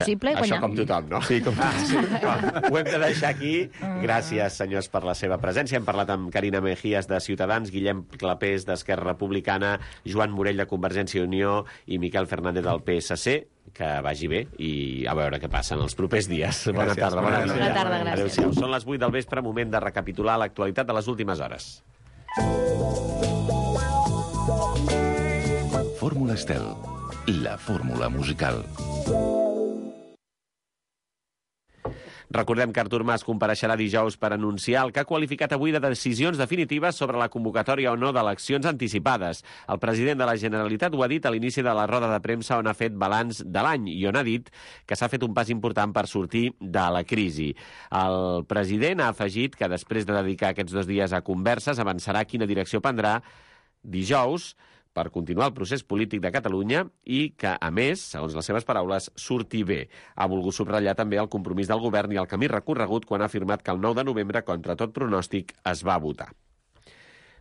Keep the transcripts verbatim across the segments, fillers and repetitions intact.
Possible guanyar. Això com tothom, no? Sí, com ah, sí. Ho hem de deixar aquí. Gràcies, senyors, per la seva presència. Hem parlat amb Carina Mejías, de Ciutadans, Guillem Clapés, d'Esquerra Republicana, Joan Morell, de Convergència i Unió, i Miquel Fernández, del P S C. Que vagi bé i a veure què passa en els propers dies. Gràcies. Bona tarda. Bona, bona tarda, gràcies. Adéu-siau. Són les vuit del vespre, moment de recapitular l'actualitat de les últimes hores. Fórmula Estel, la fórmula musical. Recordem que Artur Mas compareixerà dijous per anunciar el que ha qualificat avui de decisions definitives sobre la convocatòria o no d'eleccions anticipades. El president de la Generalitat ho ha dit a l'inici de la roda de premsa on ha fet balanç de l'any i on ha dit que s'ha fet un pas important per sortir de la crisi. El president ha afegit que després de dedicar aquests dos dies a converses avançarà quina direcció prendrà dijous per continuar el procés polític de Catalunya i que, a més, segons les seves paraules, surti bé. Ha volgut subratllar també el compromís del govern i el camí recorregut quan ha afirmat que el nou de novembre, contra tot pronòstic, es va votar.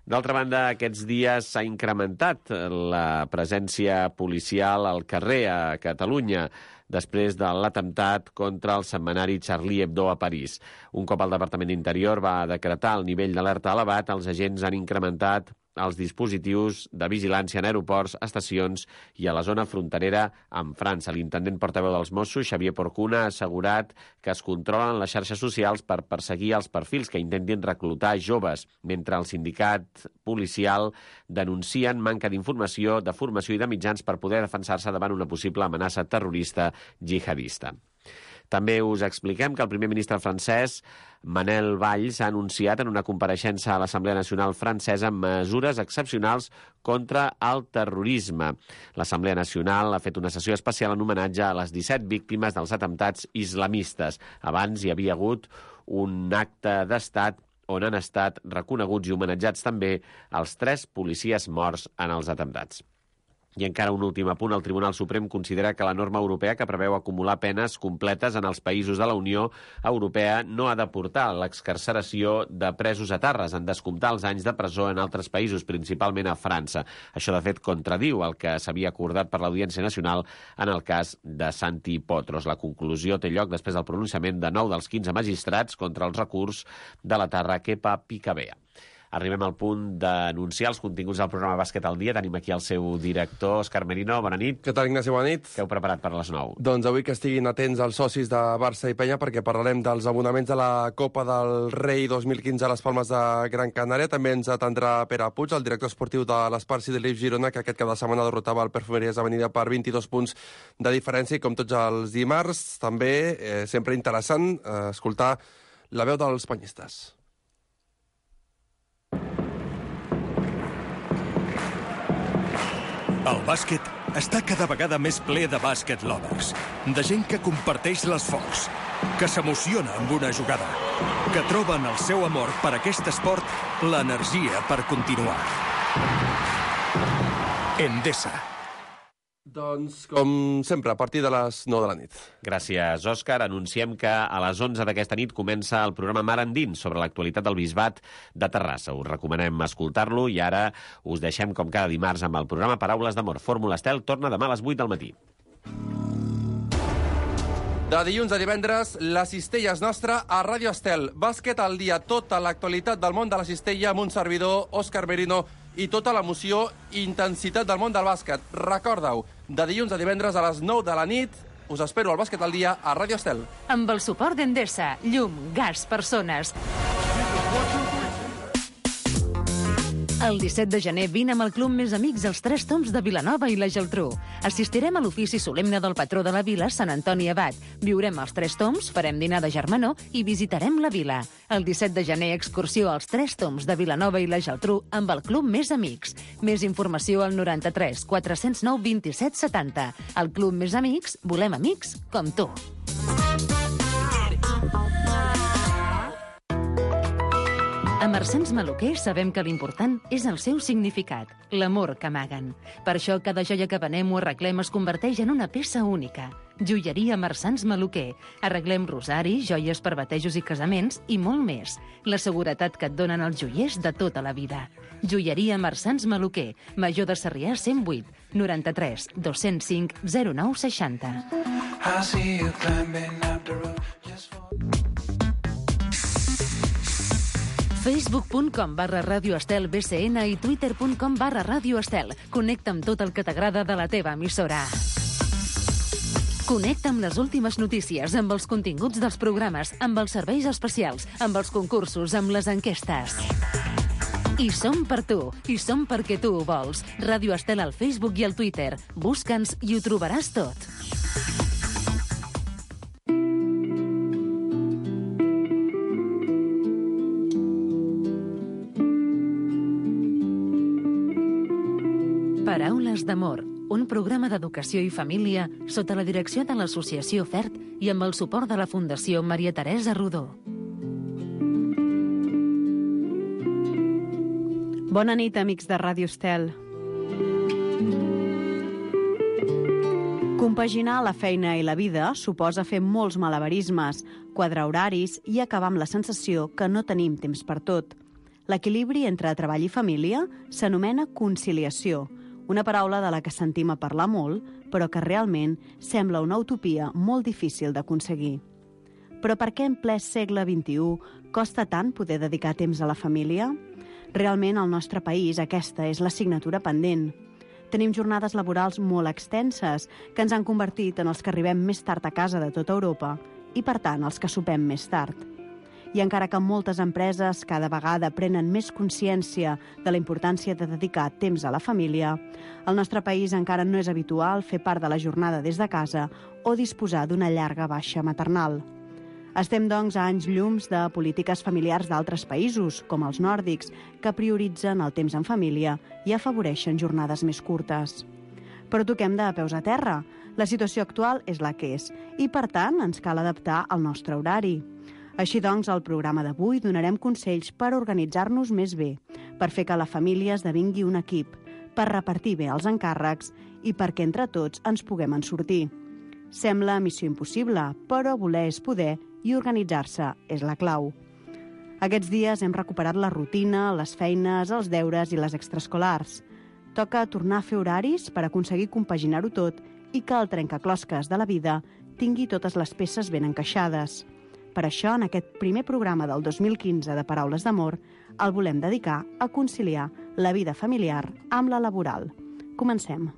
D'altra banda, aquests dies s'ha incrementat la presència policial al carrer a Catalunya després de l'atemptat contra el setmanari Charlie Hebdo a París. Un cop el Departament d'Interior va decretar el nivell d'alerta elevat, els agents han incrementat els dispositius de vigilància en aeroports, estacions i a la zona fronterera amb França. L'intendent portaveu dels Mossos, Xavier Porcuna, ha assegurat que es controlen les xarxes socials per perseguir els perfils que intentin reclutar joves, mentre el sindicat policial denuncien manca d'informació, de formació i de mitjans per poder defensar-se davant una possible amenaça terrorista jihadista. També us expliquem que el primer ministre francès, Manel Valls, ha anunciat en una compareixença a l'Assemblea Nacional francesa mesures excepcionals contra el terrorisme. L'Assemblea Nacional ha fet una sessió especial en homenatge a les disset víctimes dels atemptats islamistes. Abans hi havia hagut un acte d'estat on han estat reconeguts i homenatjats també els tres policies morts en els atemptats. I encara un últim apunt, el Tribunal Suprem considera que la norma europea que preveu acumular penes completes en els països de la Unió Europea no ha de portar l'excarceració de presos etarres en descomptar els anys de presó en altres països, principalment a França. Això, de fet, contradiu el que s'havia acordat per l'Audiència Nacional en el cas de Santi Potros. La conclusió té lloc després del pronunciament de nou dels quinze magistrats contra els recurs de la terra Kepa Picabea. Arribem al punt d'anunciar els continguts del programa Bàsquet al dia. Tenim aquí el seu director, Òscar Merino. Bona nit. Què tal, Ignasi? Bona nit. Què heu preparat per les nou? Doncs avui que estiguin atents els socis de Barça i Penya perquè parlarem dels abonaments de la Copa del Rei dos mil quinze a les Palmes de Gran Canària. També ens atendrà Pere Puig, el director esportiu de l'Esparci de l'I F Girona, que aquest cap de setmana derrotava el Perfumeries Avenida per vint-i-dos punts de diferència. I com tots els dimarts, també eh, sempre interessant eh, escoltar la veu dels penyistes. El bàsquet està cada vegada més ple de bàsquet lovers, de gent que comparteix l'esforç, que s'emociona amb una jugada, que troba en el seu amor per aquest esport l'energia per continuar. Endesa. Doncs, com sempre, a partir de les nou de la nit. Gràcies, Òscar. Anunciem que a les onze d'aquesta nit comença el programa Mar Endins sobre l'actualitat del Bisbat de Terrassa. Us recomanem escoltar-lo i ara us deixem com cada dimarts amb el programa Paraules d'Amor. Fórmula Estel torna demà a les vuit del matí. De dilluns a divendres, la cistella és nostra a Ràdio Estel. Bàsquet al dia, tota l'actualitat del món de la cistella amb un servidor, Òscar Merino, i tota l'emoció i intensitat del món del bàsquet. Recorda-ho, de dilluns a divendres a les nou de la nit, us espero al Bàsquet al dia a Ràdio Estel. Amb el suport d'Endesa, llum, gas, persones. El disset de gener vine amb el Club Més Amics als Tres Tombs de Vilanova i la Geltrú. Assistirem a l'ofici solemne del patró de la vila, Sant Antoni Abat. Viurem als Tres Tombs, farem dinar de germanor i visitarem la vila. El disset de gener, excursió als Tres Tombs de Vilanova i la Geltrú amb el Club Més Amics. Més informació al noranta-tres quatre zero nou vint-i-set setanta. El Club Més Amics, volem amics com tu. Marsans Maluquer sabem que l'important és el seu significat, l'amor que amaguen. Per això cada joia que venem o arreglem es converteix en una peça única. Joieria Marsans Maluquer. Arreglem rosari, joies per batejos i casaments i molt més. La seguretat que et donen els joiers de tota la vida. Joieria Marsans Maluquer. Major de Sarrià cent vuit, noranta-tres, dos-cents cinc, zero nou seixanta. Facebook.com barra Radio Estel B C N i Twitter.com barra Radio Estel. Connecta amb tot el que t'agrada de la teva emissora. Connecta amb les últimes notícies, amb els continguts dels programes, amb els serveis especials, amb els concursos, amb les enquestes. I som per tu, i som perquè tu ho vols. Radio Estel al Facebook i al Twitter. Busca'ns i ho trobaràs tot. Paraules d'amor, un programa d'educació i família sota la direcció de l'Associació FERT i amb el suport de la Fundació Maria Teresa Rodó. Bona nit, amics de Ràdio Estel. Compaginar la feina i la vida suposa fer molts malabarismes, quadrar horaris i acabar amb la sensació que no tenim temps per tot. L'equilibri entre treball i família s'anomena conciliació, una paraula de la que sentim a parlar molt, però que realment sembla una utopia molt difícil d'aconseguir. Però per què en ple segle vint-i-u costa tant poder dedicar temps a la família? Realment, al nostre país, aquesta és l'assignatura pendent. Tenim jornades laborals molt extenses, que ens han convertit en els que arribem més tard a casa de tota Europa i, per tant, els que sopem més tard. I encara que moltes empreses cada vegada prenen més consciència de la importància de dedicar temps a la família, al nostre país encara no és habitual fer part de la jornada des de casa o disposar d'una llarga baixa maternal. Estem, doncs, a anys llums de polítiques familiars d'altres països, com els nòrdics, que prioritzen el temps en família i afavoreixen jornades més curtes. Però toquem de peus a terra. La situació actual és la que és i, per tant, ens cal adaptar al nostre horari. Així doncs, al programa d'avui donarem consells per organitzar-nos més bé, per fer que la família esdevingui un equip, per repartir bé els encàrrecs i perquè entre tots ens puguem en sortir. Sembla missió impossible, però voler és poder i organitzar-se és la clau. Aquests dies hem recuperat la rutina, les feines, els deures i les extraescolars. Toca tornar a fer horaris per aconseguir compaginar-ho tot i que el trencaclosques de la vida tingui totes les peces ben encaixades. Per això, en aquest primer programa del dos mil quinze de Paraules d'Amor, el volem dedicar a conciliar la vida familiar amb la laboral. Comencem.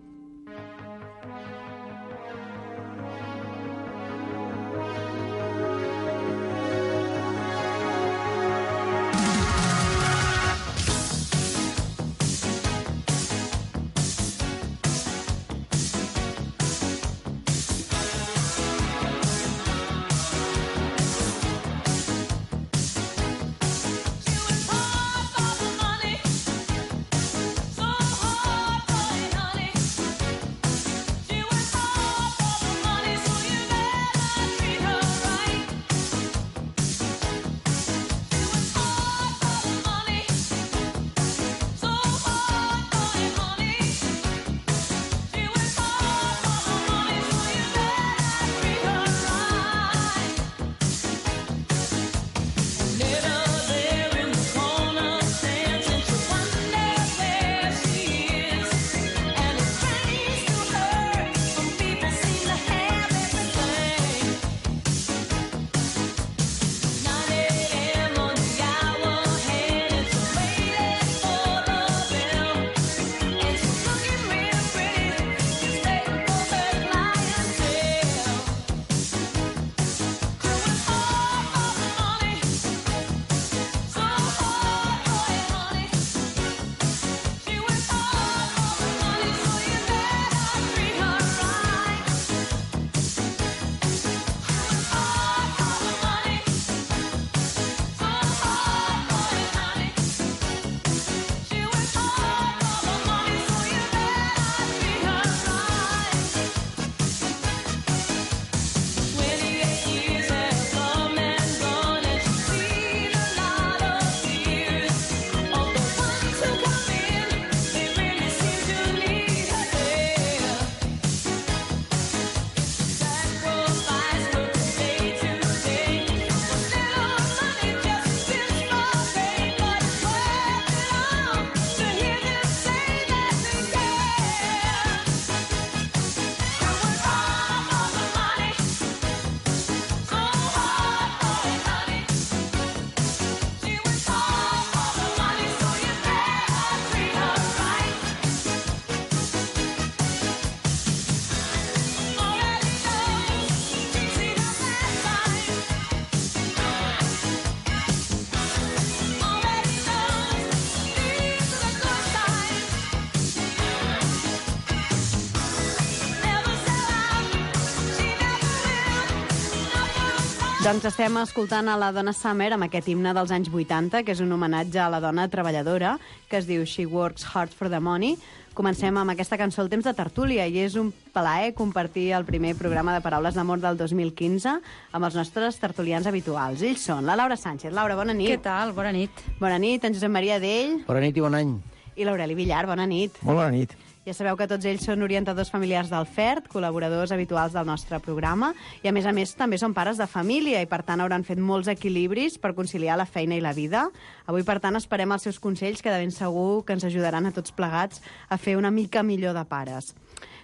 Doncs estem escoltant a la Donna Summer amb aquest himne dels anys vuitanta, que és un homenatge a la dona treballadora, que es diu She Works Hard for the Money. Comencem amb aquesta cançó El temps de tertúlia, i és un plaer compartir el primer programa de Paraules d'Amor del dos mil quinze amb els nostres tertulians habituals. Ells són la Laura Sánchez. Laura, bona nit. Què tal? Bona nit. Bona nit, en Josep Maria Dell. Bona nit i bon any. I l'Aureli Villar, bona nit. Molt bona nit. Ja sabeu que tots ells són orientadors familiars del F E R T, col·laboradors habituals del nostre programa, i a més a més també són pares de família i per tant hauran fet molts equilibris per conciliar la feina i la vida. Avui, per tant, esperem els seus consells, que de ben segur que ens ajudaran a tots plegats a fer una mica millor de pares.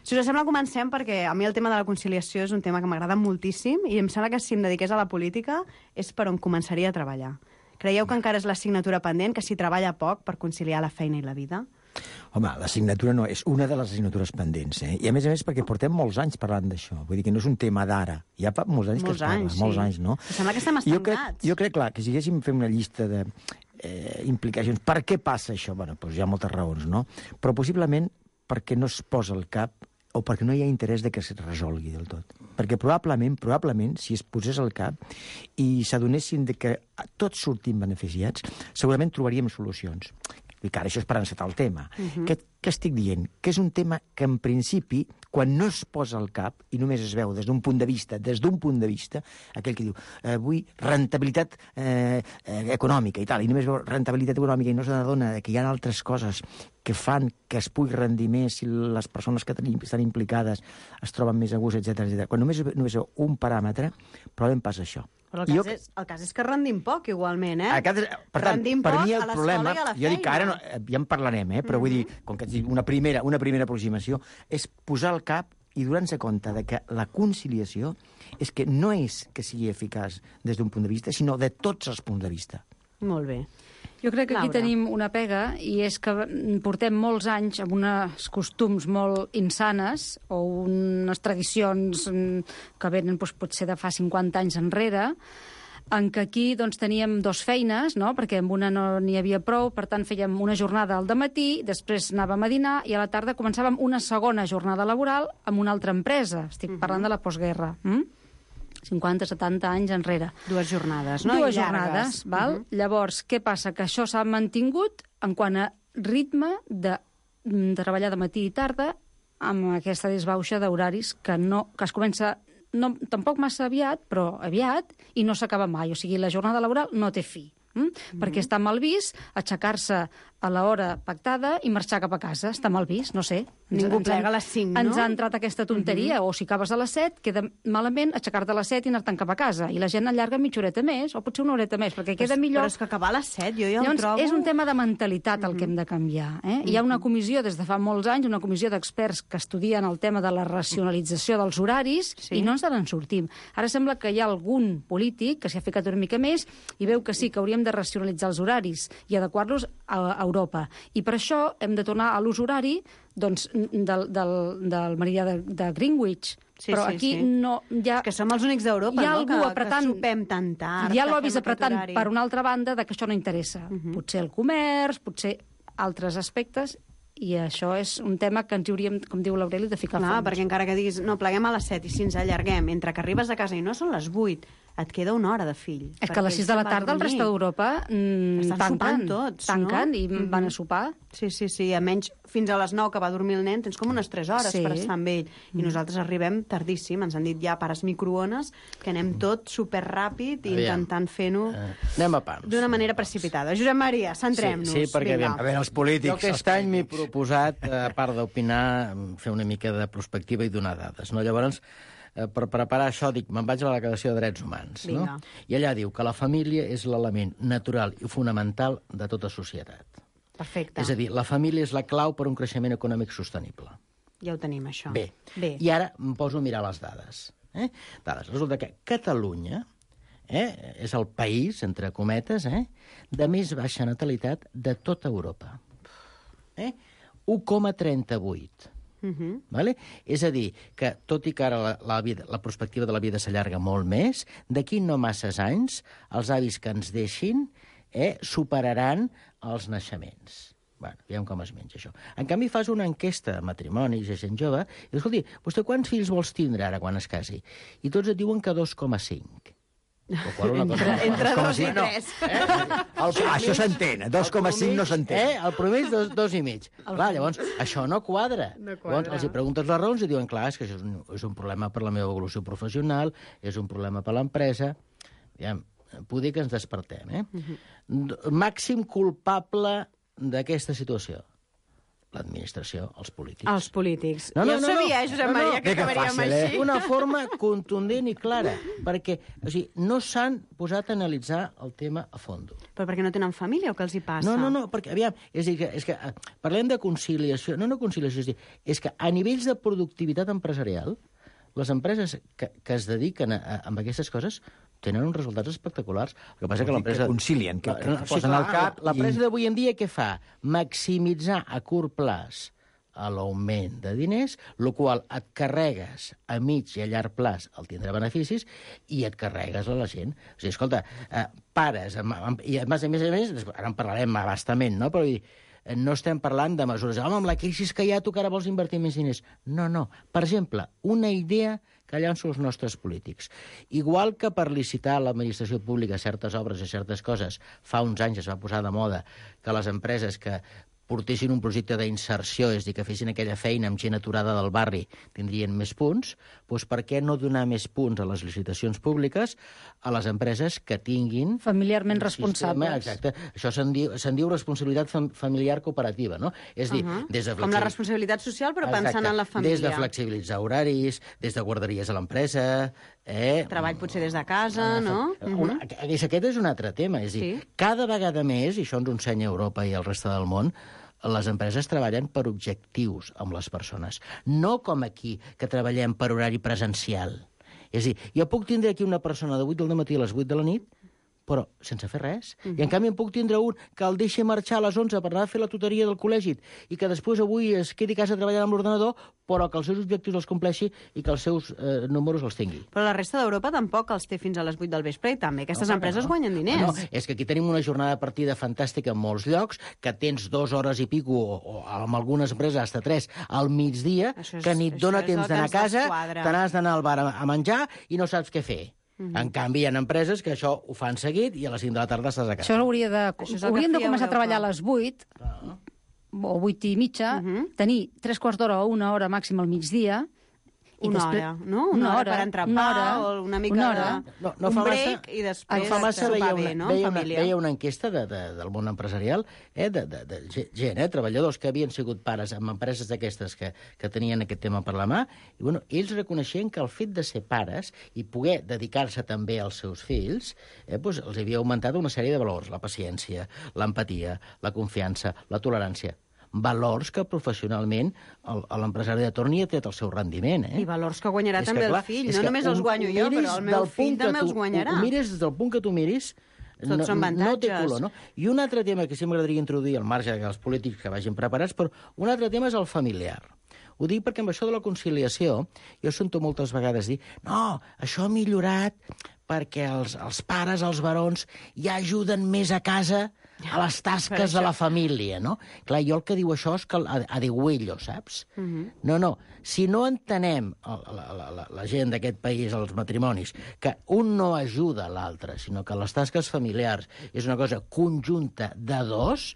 Si us sembla, comencem, perquè a mi el tema de la conciliació és un tema que m'agrada moltíssim i em sembla que si em dediqués a la política és per on començaria a treballar. Creieu que encara és l'assignatura pendent, que s'hi treballa poc per conciliar la feina i la vida? Home, l'assignatura no, és una de les assignatures pendents, eh? I a més a més perquè portem molts anys parlant d'això. Vull dir que no és un tema d'ara. Ja fa molts anys molts que es parla. Anys, sí. Molts anys, no? Em sembla que estem estancats. Jo crec, jo crec, clar, que si haguéssim fet una llista de eh, implicacions, per què passa això? Bueno, doncs hi ha moltes raons, no? Però possiblement perquè no es posa al cap o perquè no hi ha interès de que es resolgui del tot. Perquè probablement, probablement, si es posés al cap i s'adonessin de que tots sortim beneficiats, segurament trobaríem solucions. I que ara això és per encetar el tema. Uh-huh. Què, què estic dient? Que és un tema que, en principi, quan no es posa al cap i només es veu des d'un punt de vista, des d'un punt de vista, aquell que diu, eh, vull rentabilitat eh, eh, econòmica i tal, i només veu rentabilitat econòmica i no s'adona que hi ha altres coses que fan que es pugui rendir més si les persones que tenim, estan implicades es troben més a gust, etcètera, etcètera. Quan només, només veu un paràmetre, probablement passa això. Però el cas, jo... és, el cas és que rendim poc, igualment, eh? Cas, per tant, rendim per poc mi el a problema, i a la jo dic que ara no, ja en parlarem, eh? Però mm-hmm. vull dir, com que una primera, una primera aproximació, és posar al cap i donar-se compte de que la conciliació és que no és que sigui eficaç des d'un punt de vista, sinó de tots els punts de vista. Molt bé. Jo crec que aquí Laura. tenim una pega, i és que portem molts anys amb uns costums molt insanes o unes tradicions que venen doncs, potser de fa cinquanta anys enrere, en què aquí doncs, teníem dos feines, no? Perquè amb una no n'hi havia prou, per tant fèiem una jornada al dematí, després anàvem a dinar i a la tarda començàvem una segona jornada laboral amb una altra empresa. Estic uh-huh. parlant de la postguerra. Mm? cinquanta, setanta anys enrere. Dues jornades, no? Dues jornades, val? Uh-huh. Llavors, què passa? Que això s'ha mantingut en quant a ritme de, de treballar de matí i tarda amb aquesta desbauxa d'horaris que, no, que es comença no, tampoc massa aviat, però aviat, i no s'acaba mai. O sigui, la jornada laboral no té fi. Mm? Mm-hmm. Perquè està mal vist aixecar-se a l'hora pactada i marxar cap a casa. Està mal vist, no sé. Ningú ens, plega a les cinc, no? Ens ha entrat aquesta tonteria. Mm-hmm. O si acabes a les set, queda malament aixecar-te a les set i anar-te'n cap a casa. I la gent allarga mitja horeta més, o potser una horeta més, perquè queda però, millor... Però és que acabar a les set, jo ja Llavors, ho trobo... és un tema de mentalitat el mm-hmm. que hem de canviar. Eh? Mm-hmm. Hi ha una comissió des de fa molts anys, una comissió d'experts que estudien el tema de la racionalització dels horaris, sí. i no ens en sortim. Ara sembla que hi ha algun polític que s'hi ha ficat una mica més i veu que sí, que hauríem de racionalitzar els horaris i adequar-los a, a Europa. I per això hem de tornar a l'ús horari doncs, del, del, del meridià de, de Greenwich. Sí, però sí, aquí sí. no... Hi ha, és que som els únics d'Europa, no? Que, apretant, que sopem tan tard. Hi ha lobbies apretant per una altra banda de que això no interessa. Uh-huh. Potser el comerç, potser altres aspectes, i això és un tema que ens hauríem, com diu l'Aureli, de ficar Clar, fons. perquè encara que diguis, no, pleguem a les set i si ens allarguem, entre que arribes a casa i no són les vuit, et queda una hora de fill. És que a les sis de la tarda el resta d'Europa mmm, estan tanquen, sopant tots, tanquen no? i mm-hmm. van a sopar. Sí, sí, sí, a menys fins a les nou que va dormir el nen, tens com unes tres hores sí. per estar amb ell. I mm. nosaltres arribem tardíssim, ens han dit ja pares microones, que anem tot superràpid i Aviam. intentant fer-ho uh, anem a pams. D'una manera precipitada. Josep Maria, centrem-nos. Sí, sí, perquè Vinga. aviam. A veure, els polítics... Jo aquest any m'he proposat, a part d'opinar, fer una mica de prospectiva i donar dades. No? Llavors, per preparar això, dic, me'n vaig a la Declaració de Drets Humans. No? I allà diu que la família és l'element natural i fonamental de tota societat. Perfecte. És a dir, la família és la clau per a un creixement econòmic sostenible. Ja ho tenim, això. Bé. Bé. I ara em poso a mirar les dades. Eh? Dades. Resulta que Catalunya eh, és el país, entre cometes, eh, de més baixa natalitat de tota Europa. Eh? u coma trenta-vuit. Uh-huh. Vale? És a dir, que tot i que ara la, la, vida, la perspectiva de la vida s'allarga molt més, d'aquí no masses anys, els avis que ens deixin eh, superaran els naixements. Bueno, veiem com es menja això. En canvi, fas una enquesta de matrimonis de gent jove i dius, escolti, vostè quants fills vols tindre ara quan es casi? I tots et diuen que dos coma cinc. Entre, entre dos i tres. Eh? El, això s'entén, dos coma cinc no s'entén. Eh? El promès dos, dos i mig. Clar, llavors, això no quadra. No quadra. Llavors, els hi preguntes les raons i diuen, clar, és que això és un, és un problema per la meva evolució professional, és un problema per l'empresa. Ja, puc dir que ens despertem, eh? Uh-huh. Màxim culpable d'aquesta situació. L'administració, els polítics. Els polítics. No, no, jo no, sabia, no, Josep no, no, Maria, que que acabaríem fàcil, eh? així. Una forma contundent i clara, perquè o sigui, no s'han posat a analitzar el tema a fons. Però perquè no tenen família o què els hi passa? No, no, no, perquè, aviam, és a dir, que, és que eh, parlem de conciliació, no, no conciliació, és, dir, és que a nivells de productivitat empresarial, les empreses que, que es dediquen a, a, a aquestes coses tenen uns resultats espectaculars. El que passa que l'empresa... Que concilien, que, que no, posen sí, al cap... L'empresa i... d'avui en dia què fa? Maximitzar a curt plaç a l'augment de diners, el qual et carregues a mig i a llarg plaç el tindrà beneficis i et carregues a la gent. O sigui, escolta, eh, pares, amb, amb, i a més a més, a més, ara en parlarem abastament, no? Però no estem parlant de mesures. Home, amb la crisi que hi ha, tu que ara vols invertir més diners. No, no. Per exemple, una idea que llanço els nostres polítics. Igual que per licitar a l'administració pública certes obres i certes coses, fa uns anys es va posar de moda que les empreses que portessin un projecte d'inserció, és a dir, que fessin aquella feina amb gent aturada del barri, tindrien més punts, doncs per què no donar més punts a les licitacions públiques a les empreses que tinguin... Familiarment responsables. Exacte. Això se'n diu, se'n diu responsabilitat fam familiar cooperativa, no? És a dir, uh -huh. des de Com la responsabilitat social, però Exacte. pensant en la família. Des de flexibilitzar horaris, des de guarderies a l'empresa... Eh? Treball potser des de casa, no? Uh -huh. Aquest és un altre tema. És a dir, sí. Cada vegada més, i això ens ho ensenya Europa i el reste del món, les empreses treballen per objectius amb les persones. No com aquí, que treballem per horari presencial. És a dir, jo puc tindre aquí una persona de vuit del matí a les vuit de la nit, però sense fer res. Uh -huh. I en canvi en puc tindre un que el deixi marxar a les onze per anar a fer la tutoria del col·legi i que després avui es quedi a casa treballant amb l'ordenador, però que els seus objectius els compleixi i que els seus eh, números els tingui. Però la resta d'Europa tampoc els té fins a les vuit del vespre i també aquestes no, empreses no. guanyen diners. No, és que aquí tenim una jornada de partida fantàstica en molts llocs, que tens dues hores i pico, o, o amb algunes empreses hasta tres, al migdia, és, que ni et dona temps d'anar a casa, te n'has d'anar al bar a, a menjar i no saps què fer. Uh -huh. En canvi, hi ha empreses que això ho fan seguit i a les cinc de la tarda estàs a casa. Això hauria de... Hauríem de començar a treballar a les vuit, ah. o vuit i mitja, uh -huh. tenir tres quarts d'hora o una hora màxim al migdia, i una després... hora, no? Una, una hora, hora per entrepà una hora, o una mica una hora. De... No, no un break massa, i després no fa massa sopar veia bé, una, no? Veia una, Família. veia una enquesta de, de, del món empresarial, eh, de, de, de gent, eh, treballadors que havien sigut pares amb empreses d'aquestes que, que tenien aquest tema per la mà, i bueno, ells reconeixien que el fet de ser pares i poder dedicar-se també als seus fills, eh, doncs els havia augmentat una sèrie de valors, la paciència, l'empatia, la confiança, la tolerància, valors que professionalment l'empresari de torn hi ha tret el seu rendiment. Eh? I valors que guanyarà és també que, clar, el fill. No només els guanyo jo, però el meu fill també els guanyarà. Ho mires des del punt que tu miris, tots no, són avantatges. No té color, no? I un altre tema que sí m'agradaria introduir al marge dels polítics que vagin preparats, però un altre tema és el familiar. Ho dic perquè amb això de la conciliació jo sento moltes vegades dir no, això ha millorat perquè els, els pares, els barons, ja ajuden més a casa a les tasques de la família, no? Clar, jo el que diu això és que a, a digüello, saps? Uh -huh. No, no. Si no entenem, la, la, la, la gent d'aquest país, els matrimonis, que un no ajuda l'altre, sinó que les tasques familiars és una cosa conjunta de dos,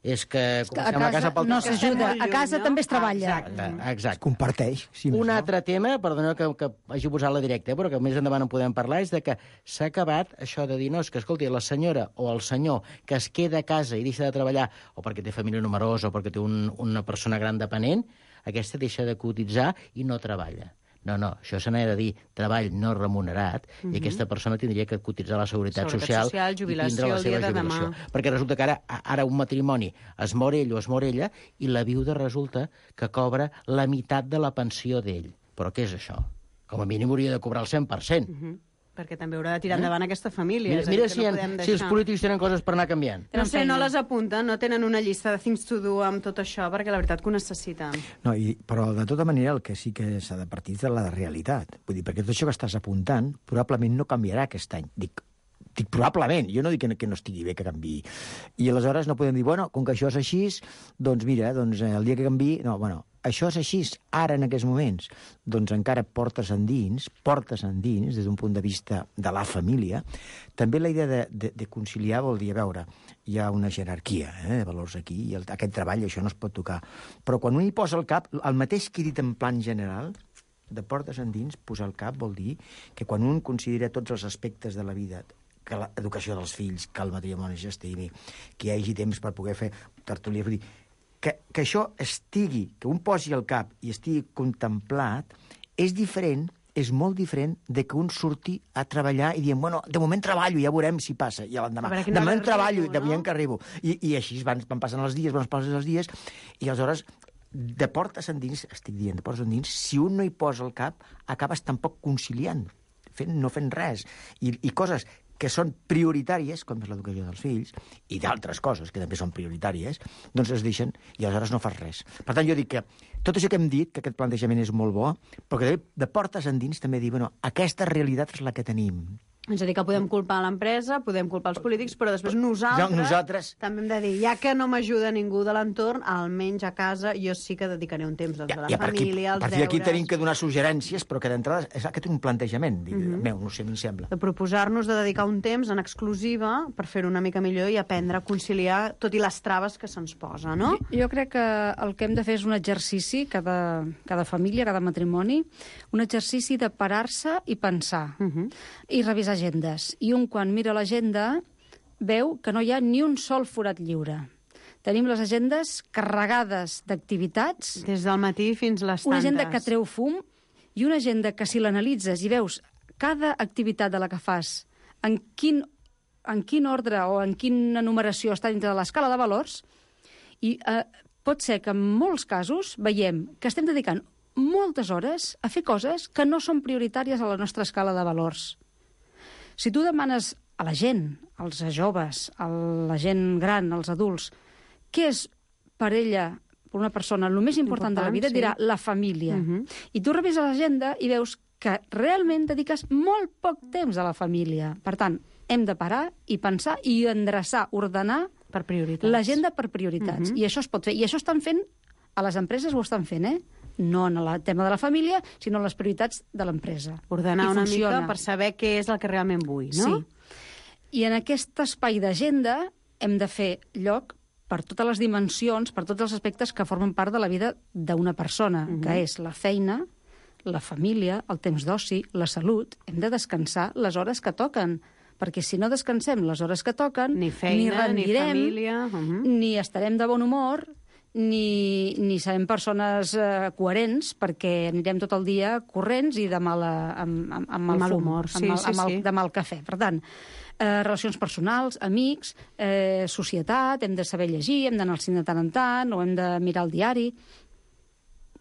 és que... És que a casa, casa pel no s'ajuda, a casa no? també es treballa. Exacte, exacte. Es comparteix. Si Un no. altre tema, perdoneu que, que hagi posat la directa, eh, però que més endavant en podem parlar, és de que s'ha acabat això de dir, no, és que, escolti, la senyora o el senyor que es queda a casa i deixa de treballar, o perquè té família numerosa, o perquè té un, una persona gran dependent, aquesta deixa de cotitzar i no treballa. No, no, això se n'ha de dir treball no remunerat, uh -huh. i aquesta persona tindria que cotitzar la Seguretat, Seguretat Social, social i tindre la seva jubilació. Perquè resulta que ara, ara un matrimoni es mor ell o es mor ella i la viuda resulta que cobra la meitat de la pensió d'ell. Però què és això? Com a mínim hauria de cobrar el cent per cent. Uh -huh. Perquè també haurà de tirar endavant eh? aquesta família. Mira, mira si, no en, si els polítics tenen coses per anar canviant. No sé, no les apunten, no tenen una llista de things to do amb tot això, perquè la veritat que ho necessiten. No, i, però de tota manera el que sí que s'ha de partir de la realitat. Vull dir, perquè tot això que estàs apuntant probablement no canviarà aquest any. Dic, Dic, probablement, jo no dic que no, que no estigui bé que canviï. I aleshores no podem dir, bueno, com que això és així, doncs mira, doncs el dia que canviï... No, bueno, això és així, ara en aquests moments, doncs encara portes endins, portes endins, des d'un punt de vista de la família. També la idea de, de, de conciliar vol dir, a veure, hi ha una jerarquia eh, de valors aquí, i el, aquest treball, això no es pot tocar. Però quan un hi posa el cap, el mateix que he dit en plan general, de portes endins, posar el cap vol dir que quan un considera tots els aspectes de la vida, que l'educació dels fills, que el matrimoni s'estimi, que hi hagi temps per poder fer tertúlia, vull dir, que, que això estigui, que un posi el cap i estigui contemplat, és diferent, és molt diferent de que un surti a treballar i diem, bueno, de moment treballo, ja veurem si passa, i l'endemà, de moment treballo, de moment que arribo. I, i així van, van passant els dies, van passant els dies, i aleshores, de portes endins, estic dient, de portes endins, si un no hi posa el cap, acabes tampoc conciliant, fent, no fent res. I, i coses que són prioritàries, com és l'educació dels fills, i d'altres coses que també són prioritàries, doncs es deixen i aleshores no fas res. Per tant, jo dic que tot això que hem dit, que aquest plantejament és molt bo, però que de portes endins també dir, bueno, aquesta realitat és la que tenim. És a dir, que podem culpar l'empresa, podem culpar els polítics, però després nosaltres, no, nosaltres... també hem de dir, ja que no m'ajuda ningú de l'entorn, almenys a casa jo sí que dedicaré un temps doncs, ja, a la ja, família, als deures... A partir d'aquí tenim que donar suggerències, però que d'entrada és aquest un plantejament, uh -huh. meu, no sé, em sembla. De proposar-nos de dedicar un temps en exclusiva per fer-ho una mica millor i aprendre a conciliar tot i les traves que se'ns posa, no? Jo, jo crec que el que hem de fer és un exercici, cada, cada família, cada matrimoni, un exercici de parar-se i pensar, uh -huh. i revisar agendes. I un, quan mira l'agenda, veu que no hi ha ni un sol forat lliure. Tenim les agendes carregades d'activitats. Des del matí fins les tantes. Una agenda que treu fum i una agenda que, si l'analitzes i veus cada activitat de la que fas, en quin, en quin ordre o en quina numeració està dintre de l'escala de valors, i eh, pot ser que en molts casos veiem que estem dedicant moltes hores a fer coses que no són prioritàries a la nostra escala de valors. Si tu demanes a la gent, als joves, a la gent gran, als adults, què és per ella, per una persona, el més important, important de la vida, sí. dirà la família. Uh -huh. I tu revises l'agenda i veus que realment dediques molt poc temps a la família. Per tant, hem de parar i pensar i endreçar, ordenar per prioritats. L'agenda per prioritats. Uh -huh. I això es pot fer. I això estan fent, a les empreses ho estan fent, eh? No en el tema de la família, sinó en les prioritats de l'empresa. Ordenar una mica per saber què és el que realment vull, no? Sí. I en aquest espai d'agenda hem de fer lloc per totes les dimensions, per tots els aspectes que formen part de la vida d'una persona, uh-huh. que és la feina, la família, el temps d'oci, la salut. Hem de descansar les hores que toquen, perquè si no descansem les hores que toquen, ni feina, ni rendirem, ni família... Uh-huh. ni estarem de bon humor, ni, ni serem persones eh, coherents, perquè anirem tot el dia corrents i de mala, amb, amb, amb mal, mal fum, humor, sí, amb, sí, amb el, sí. de mal cafè. Per tant, eh, relacions personals, amics, eh, societat, hem de saber llegir, hem d'anar al cine de tant en tant, o hem de mirar el diari...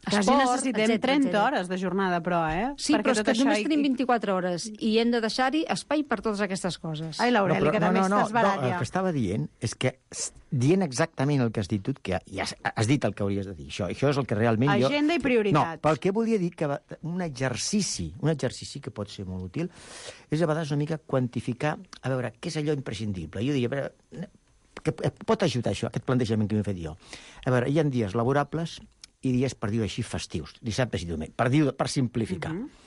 Quasi esport, necessitem etcètera, trenta etcètera. hores de jornada, però, eh? Sí, perquè però és que només hi... tenim vint-i-quatre hores i hem de deixar-hi espai per totes aquestes coses. Ai, l'Aureli, no, que no, també no, no, estàs barat, no, ja. el que estava dient és que, dient exactament el que has dit tu, que ja has, has dit el que hauries de dir, això, això és el que realment Agenda jo... Agenda i prioritats. No, pel que volia dir que un exercici, un exercici que pot ser molt útil, és a vegades una mica quantificar, a veure, què és allò imprescindible. Jo diria, a veure, que pot ajudar això, aquest plantejament que m'he fet jo. A veure, hi ha dies laborables i dies, per dir-ho així, festius, dissabtes i diumenge, per, dir per simplificar. Uh -huh.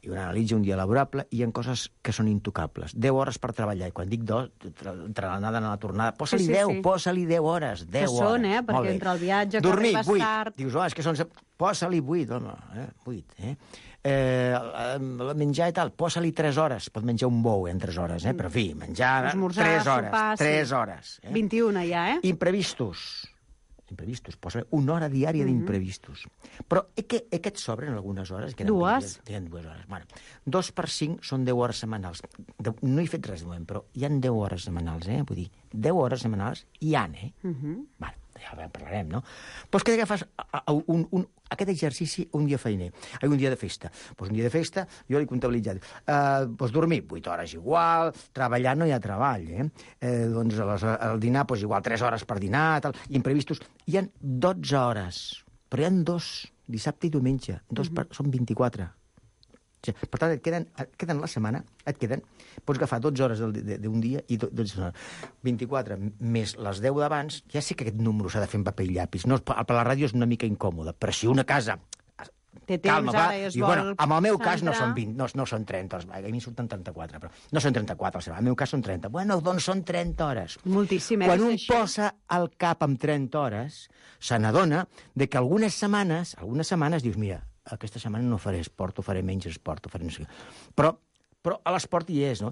I un analitza un dia laborable i hi ha coses que són intocables. deu hores per treballar, i quan dic dos, entre l'anada i la tornada, posa-li sí, sí, deu, sí. posa-li deu hores, deu que són, eh? Perquè entre el viatge, que dormir, arribes vuit. tard... Dius, oh, és que són... Posa-li vuit, home, eh? vuit, eh? Eh, menjar i tal, posa-li tres hores. Pot menjar un bou en tres hores, eh? Però, en fi, menjar esmorzar, tres hores. sopar, tres sí. hores. Eh? vint-i-una ja, eh? Imprevistos. imprevistos, posa una hora diària mm -hmm. d'imprevistos. Però és que aquests sobren algunes hores. Que dues? Tenen dues hores. Bueno, dos per cinc són deu hores setmanals. De, no he fet res de moment, però hi han deu hores setmanals, eh? Vull dir, deu hores setmanals hi han, eh? Mm -hmm. Vale, ja en parlarem, no? Doncs què agafes un, un, aquest exercici un dia feiner, un dia de festa. Doncs un dia de festa, jo l'he comptabilitzat. Uh, doncs dormir, vuit hores igual, treballar no hi ha treball, eh? eh doncs les, el dinar, doncs igual, tres hores per dinar, tal, imprevistos. Hi han dotze hores, però hi han dos, dissabte i diumenge, dos per, mm -hmm. són vint-i-quatre. Per tant, et queden, et queden la setmana, et queden... Pots agafar dotze hores d'un dia i dotze hores. vint-i-quatre més les deu d'abans, ja sé que aquest número s'ha de fer en paper i llapis. No, per la ràdio és una mica incòmode, però si una casa... Té temps, calma, va. ara, i es I, vol bueno, en el meu cas no centrar. són vint, no, no són trenta hores, a mi surten trenta-quatre, però no són trenta-quatre, en el meu cas són trenta. Bueno, doncs són trenta hores. Moltíssim, eh? Quan un Això. posa el cap amb trenta hores, se n'adona de que algunes setmanes, algunes setmanes dius, mira, aquesta setmana no faré esport, o faré menys esport, o faré no sé què. Però, però a l'esport hi és, no?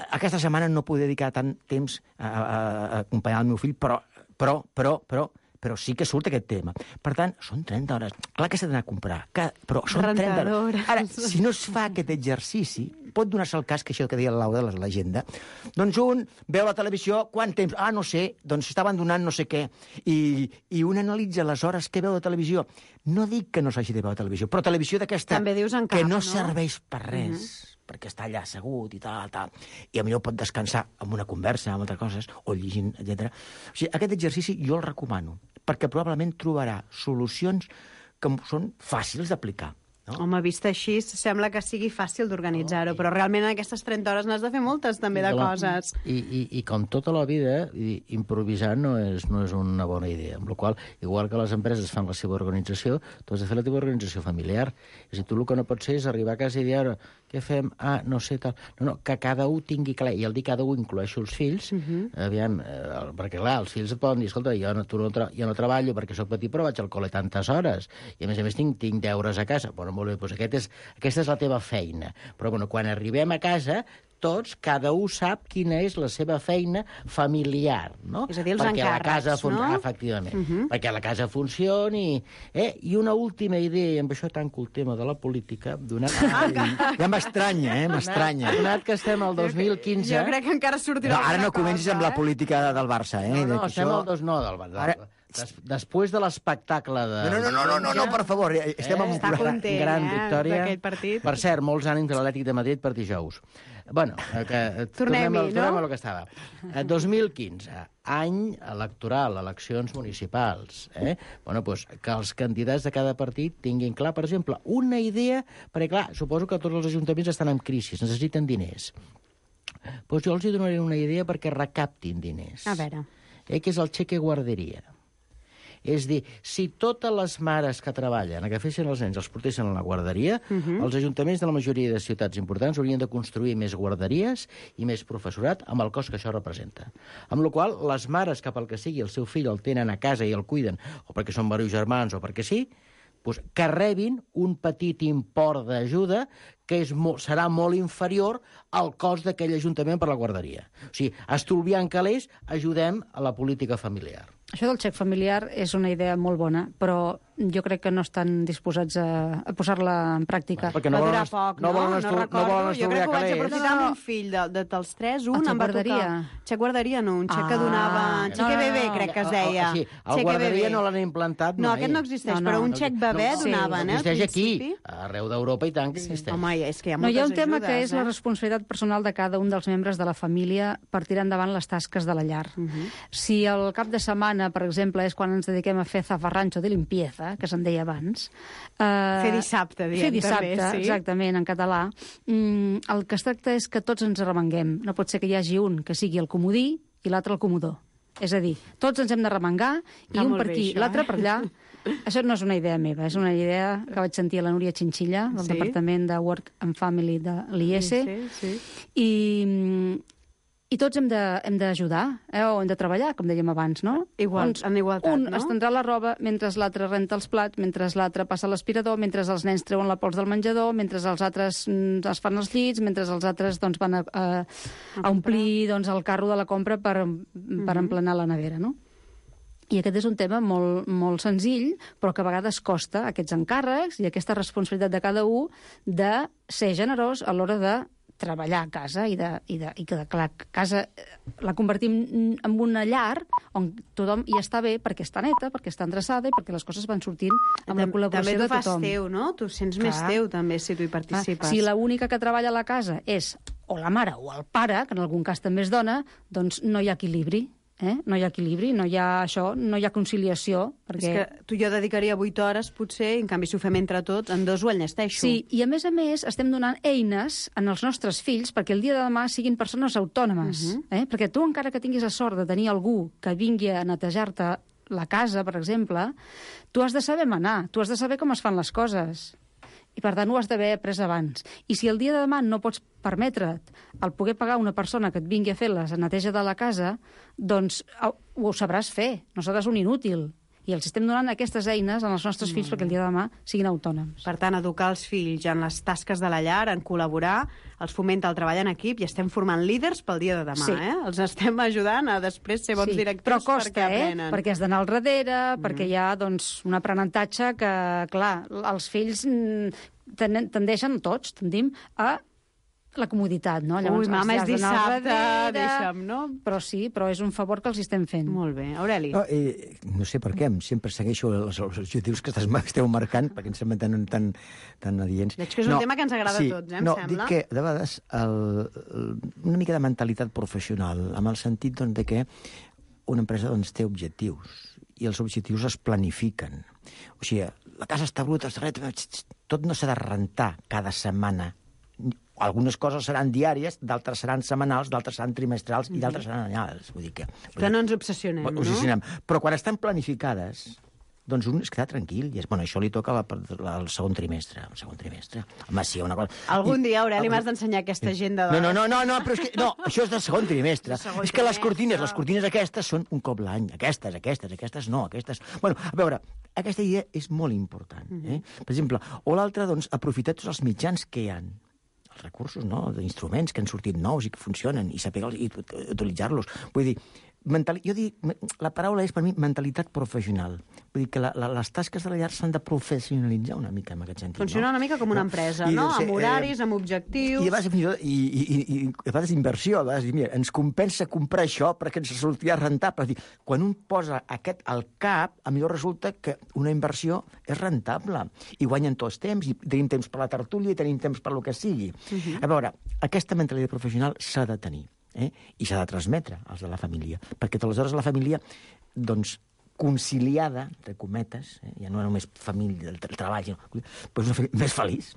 Aquesta setmana no puc dedicar tant temps a, a, a acompanyar el meu fill, però, però, però, però, però sí que surt aquest tema. Per tant, són trenta hores. Clar que s'ha d'anar a comprar, que, però són trenta hores. Ara, si no es fa aquest exercici, pot donar-se el cas que això que deia la Laura de l'agenda, doncs un veu la televisió, quant temps? Ah, no sé, doncs està abandonant no sé què. I, i un analitza les hores que veu de televisió. No dic que no s'hagi de veure televisió, però televisió d'aquesta També dius en cap, que no, no? serveix per res. Uh-huh. Perquè està allà assegut i tal, tal, i potser pot descansar amb una conversa, amb altres coses, o llegint, etcètera. O sigui, aquest exercici jo el recomano, perquè probablement trobarà solucions que són fàcils d'aplicar. No? Home, vist així, sembla que sigui fàcil d'organitzar-ho, però realment en aquestes trenta hores n'has de fer moltes, també, de coses. I, i, i com tota la vida, i, improvisar no és, no és una bona idea, amb la qual cosa, igual que les empreses fan la seva organització, tu has de fer la teva organització familiar. És a dir, tu el que no pots ser és arribar a casa i dir, ara, què fem? Ah, no sé, tal... No, no, que cada un tingui clar, i al dir cada un incloeixo els fills, uh-huh. aviam, eh, perquè clar, els fills et poden dir, escolta, jo no, tu no, tra jo no treballo perquè sóc petit, però vaig al col·le tantes hores, i a més a més tinc, tinc deures a casa. Bueno, molt bé, doncs aquest és, aquesta és la teva feina. Però bueno, quan arribem a casa, tots, cada un sap quina és la seva feina familiar, no? És a dir, els perquè encàrrecs, la casa fun... no? Ah, efectivament. Uh-huh. Perquè la casa funcioni... Eh? I una última idea, i amb això tanco el tema de la política, donat... Ai, ja m'estranya, eh? M'estranya. Donat que estem al dos mil quinze... Jo crec que encara sortirà No, ara no alguna comencis cosa, amb la eh? política del Barça, eh? No, no, Que estem això- al dos... No, del Barça. Ara- Des, després de l'espectacle de... No, no, no, no, no, no, per favor, estem en un Està programa. content, gran eh, victòria. d'aquell partit. Per cert, molts ànims de l'Atlètic de Madrid per dijous. Bueno, eh, que, eh, tornem, Tornem-hi, al, tornem no? a lo que estava. Eh, dos mil quinze, any electoral, eleccions municipals. Eh? Bueno, pues, que els candidats de cada partit tinguin clar, per exemple, una idea, perquè clar, suposo que tots els ajuntaments estan en crisi, necessiten diners. Pues jo els hi donaré una idea perquè recaptin diners. A veure. Eh, que és el xeque guarderia. És dir, si totes les mares que treballen, que fessin els nens, els portessin a la guarderia, uh-huh. els ajuntaments de la majoria de ciutats importants haurien de construir més guarderies i més professorat amb el cost que això representa. Amb la qual cosa, les mares, cap al que sigui, el seu fill el tenen a casa i el cuiden, o perquè són varios germans o perquè sí, doncs que rebin un petit import d'ajuda que és molt, serà molt inferior al cost d'aquell ajuntament per la guarderia. O sigui, estalviant calés, ajudem a la política familiar. Això del xec familiar és una idea molt bona, però jo crec que no estan disposats a, a posar-la en pràctica. Perquè no Va volen, durar poc, no no? volen, No estal- no recordo. volen Jo crec estalviar que ho vaig calés. aprofitar amb un fill de, de, dels tres, un xec em va guarderia. tocar. Xec guarderia, no, un xec que Ah. donava... Xec No, no, bebè, no, crec que es El- el- deia. Sí, el Xec guarderia bebè. no l'han implantat No, mai. aquest no existeix, No, no. però un No, xec bebè no, donaven, no eh, al existeix aquí. principi. Arreu d'Europa i tant que existeix. Home, és que hi ha No, moltes hi ha un tema ajudes, que és eh? la responsabilitat personal de cada un dels membres de la família per tirar endavant les tasques de la llar. Uh -huh. Si el cap de setmana, per exemple, és quan ens dediquem a fer zafarrancho de limpieza, que se'n deia abans... Eh, Fer dissabte, diem, Fer dissabte, també, sí. exactament, en català. Mm, el que es tracta és que tots ens arremanguem. No pot ser que hi hagi un que sigui el comodí i l'altre el comodó. És a dir, tots ens hem de remengar i Està un molt per bé, aquí, això, l'altre eh? per allà. Això no és una idea meva, és una idea que vaig sentir a la Núria Chinchilla, del Sí? Departament de Work and Family de l'I S, Sí, sí. i, i tots hem de- hem d'ajudar, eh? O hem de treballar, com dèiem abans, no? Igual, Doncs en igualtat, un no? estendrà la roba mentre l'altre renta els plats, mentre l'altre passa l'aspirador, mentre els nens treuen la pols del menjador, mentre els altres mm, es fan els llits, mentre els altres doncs, van a, a, a omplir doncs, el carro de la compra per, per emplenar la nevera, no? I aquest és un tema molt, molt senzill, però que a vegades costa aquests encàrrecs i aquesta responsabilitat de cada un de ser generós a l'hora de treballar a casa i, de, i, de, i que, clar, casa eh, la convertim en una llar on tothom hi està bé perquè està neta, perquè està endreçada i perquè les coses van sortint amb la Tam- col·laboració també de t'ho fas tothom. teu, no? Tu sents més Clar. teu, també, si tu hi Ah, participes. si l'única que treballa a la casa és o la mare o el pare, que en algun cas també és dona, doncs no hi ha equilibri. Eh? No hi ha equilibri, no hi ha això, no hi ha conciliació. Perquè... És que tu i jo dedicaria vuit hores, potser, i en canvi si ho fem entre tots, en dos ho enllesteixo. Sí, i a més a més estem donant eines en els nostres fills perquè el dia de demà siguin persones autònomes. Uh -huh. eh? Perquè tu, encara que tinguis la sort de tenir algú que vingui a netejar-te la casa, per exemple, tu has de saber manar, tu has de saber com es fan les coses. I, per tant, ho has d'haver après abans. I si el dia de demà no pots permetre't el poder pagar una persona que et vingui a fer la neteja de la casa, doncs ho sabràs fer, no seràs un inútil. I els estem donant aquestes eines als nostres fills perquè el dia de demà siguin autònoms. Per tant, educar els fills en les tasques de la llar, en col·laborar, els fomenta el treball en equip i estem formant líders pel dia de demà. Sí. Eh? Els estem ajudant a després ser bons sí. directors Però costa, perquè aprenen. Eh? Perquè has d'anar al darrere, mm. perquè hi ha doncs, un aprenentatge que, clar, els fills tendeixen, tots tendim, a la comoditat, no? Llavors, Ui, mama, és dissabte, darrere, deixa'm, no? Però sí, però és un favor que els estem fent. Molt bé. Aureli? No, eh, no sé per què, sempre segueixo els, els objectius que esteu marcant, perquè em semblen tan, tan, tan adients. Veig que és un no, tema que ens agrada sí, a tots, eh, em no, sembla. No, dic que, de vegades, el, el, una mica de mentalitat professional, amb el sentit doncs, de que una empresa doncs, té objectius, i els objectius es planifiquen. O sigui, la casa està bruta, està reta, tot no s'ha de rentar cada setmana. Algunes coses seran diàries, d'altres seran setmanals, d'altres seran trimestrals i d'altres seran anyals. Vull dir que, vull que no ens obsessionem, no? Obsessionem. Però quan estan planificades, doncs un es queda tranquil. I és, bueno, això li toca la, la, el segon trimestre. El segon trimestre. Home, sí, una cosa... Algun I, dia, Aureli, m'has d'ensenyar aquesta agenda de... No, no, no, no, no, però és que... No, això és del segon trimestre. Segon és que les cortines, les cortines aquestes són un cop l'any. Aquestes, aquestes, aquestes no, aquestes... Bueno, a veure, aquesta idea és molt important. Eh? Per exemple, o l'altra, doncs, aprofitar tots els mitjans que hi ha. Els recursos, no?, d'instruments que han sortit nous i que funcionen, i saber i utilitzar-los. Vull dir, mental... jo dic, la paraula és per mi mentalitat professional. Vull dir que la, la, les tasques de la llar s'han de professionalitzar una mica en aquest sentit. Funcionar no? una mica com una empresa, I, no? doncs, Amb horaris, eh, amb objectius... I a vegades, i, i, i, i, a vegades inversió, a vegades, mira, ens compensa comprar això perquè ens sortirà rentable. Dir, quan un posa aquest al cap, a millor resulta que una inversió és rentable. I guanyen tots temps, i tenim temps per la tertúlia, i tenim temps per lo que sigui. Uh-huh. A veure, aquesta mentalitat professional s'ha de tenir. Eh? I s'ha de transmetre als de la família, perquè aleshores la família, doncs, conciliada, entre cometes, eh? ja no només família del treball, sinó, doncs una família més feliç,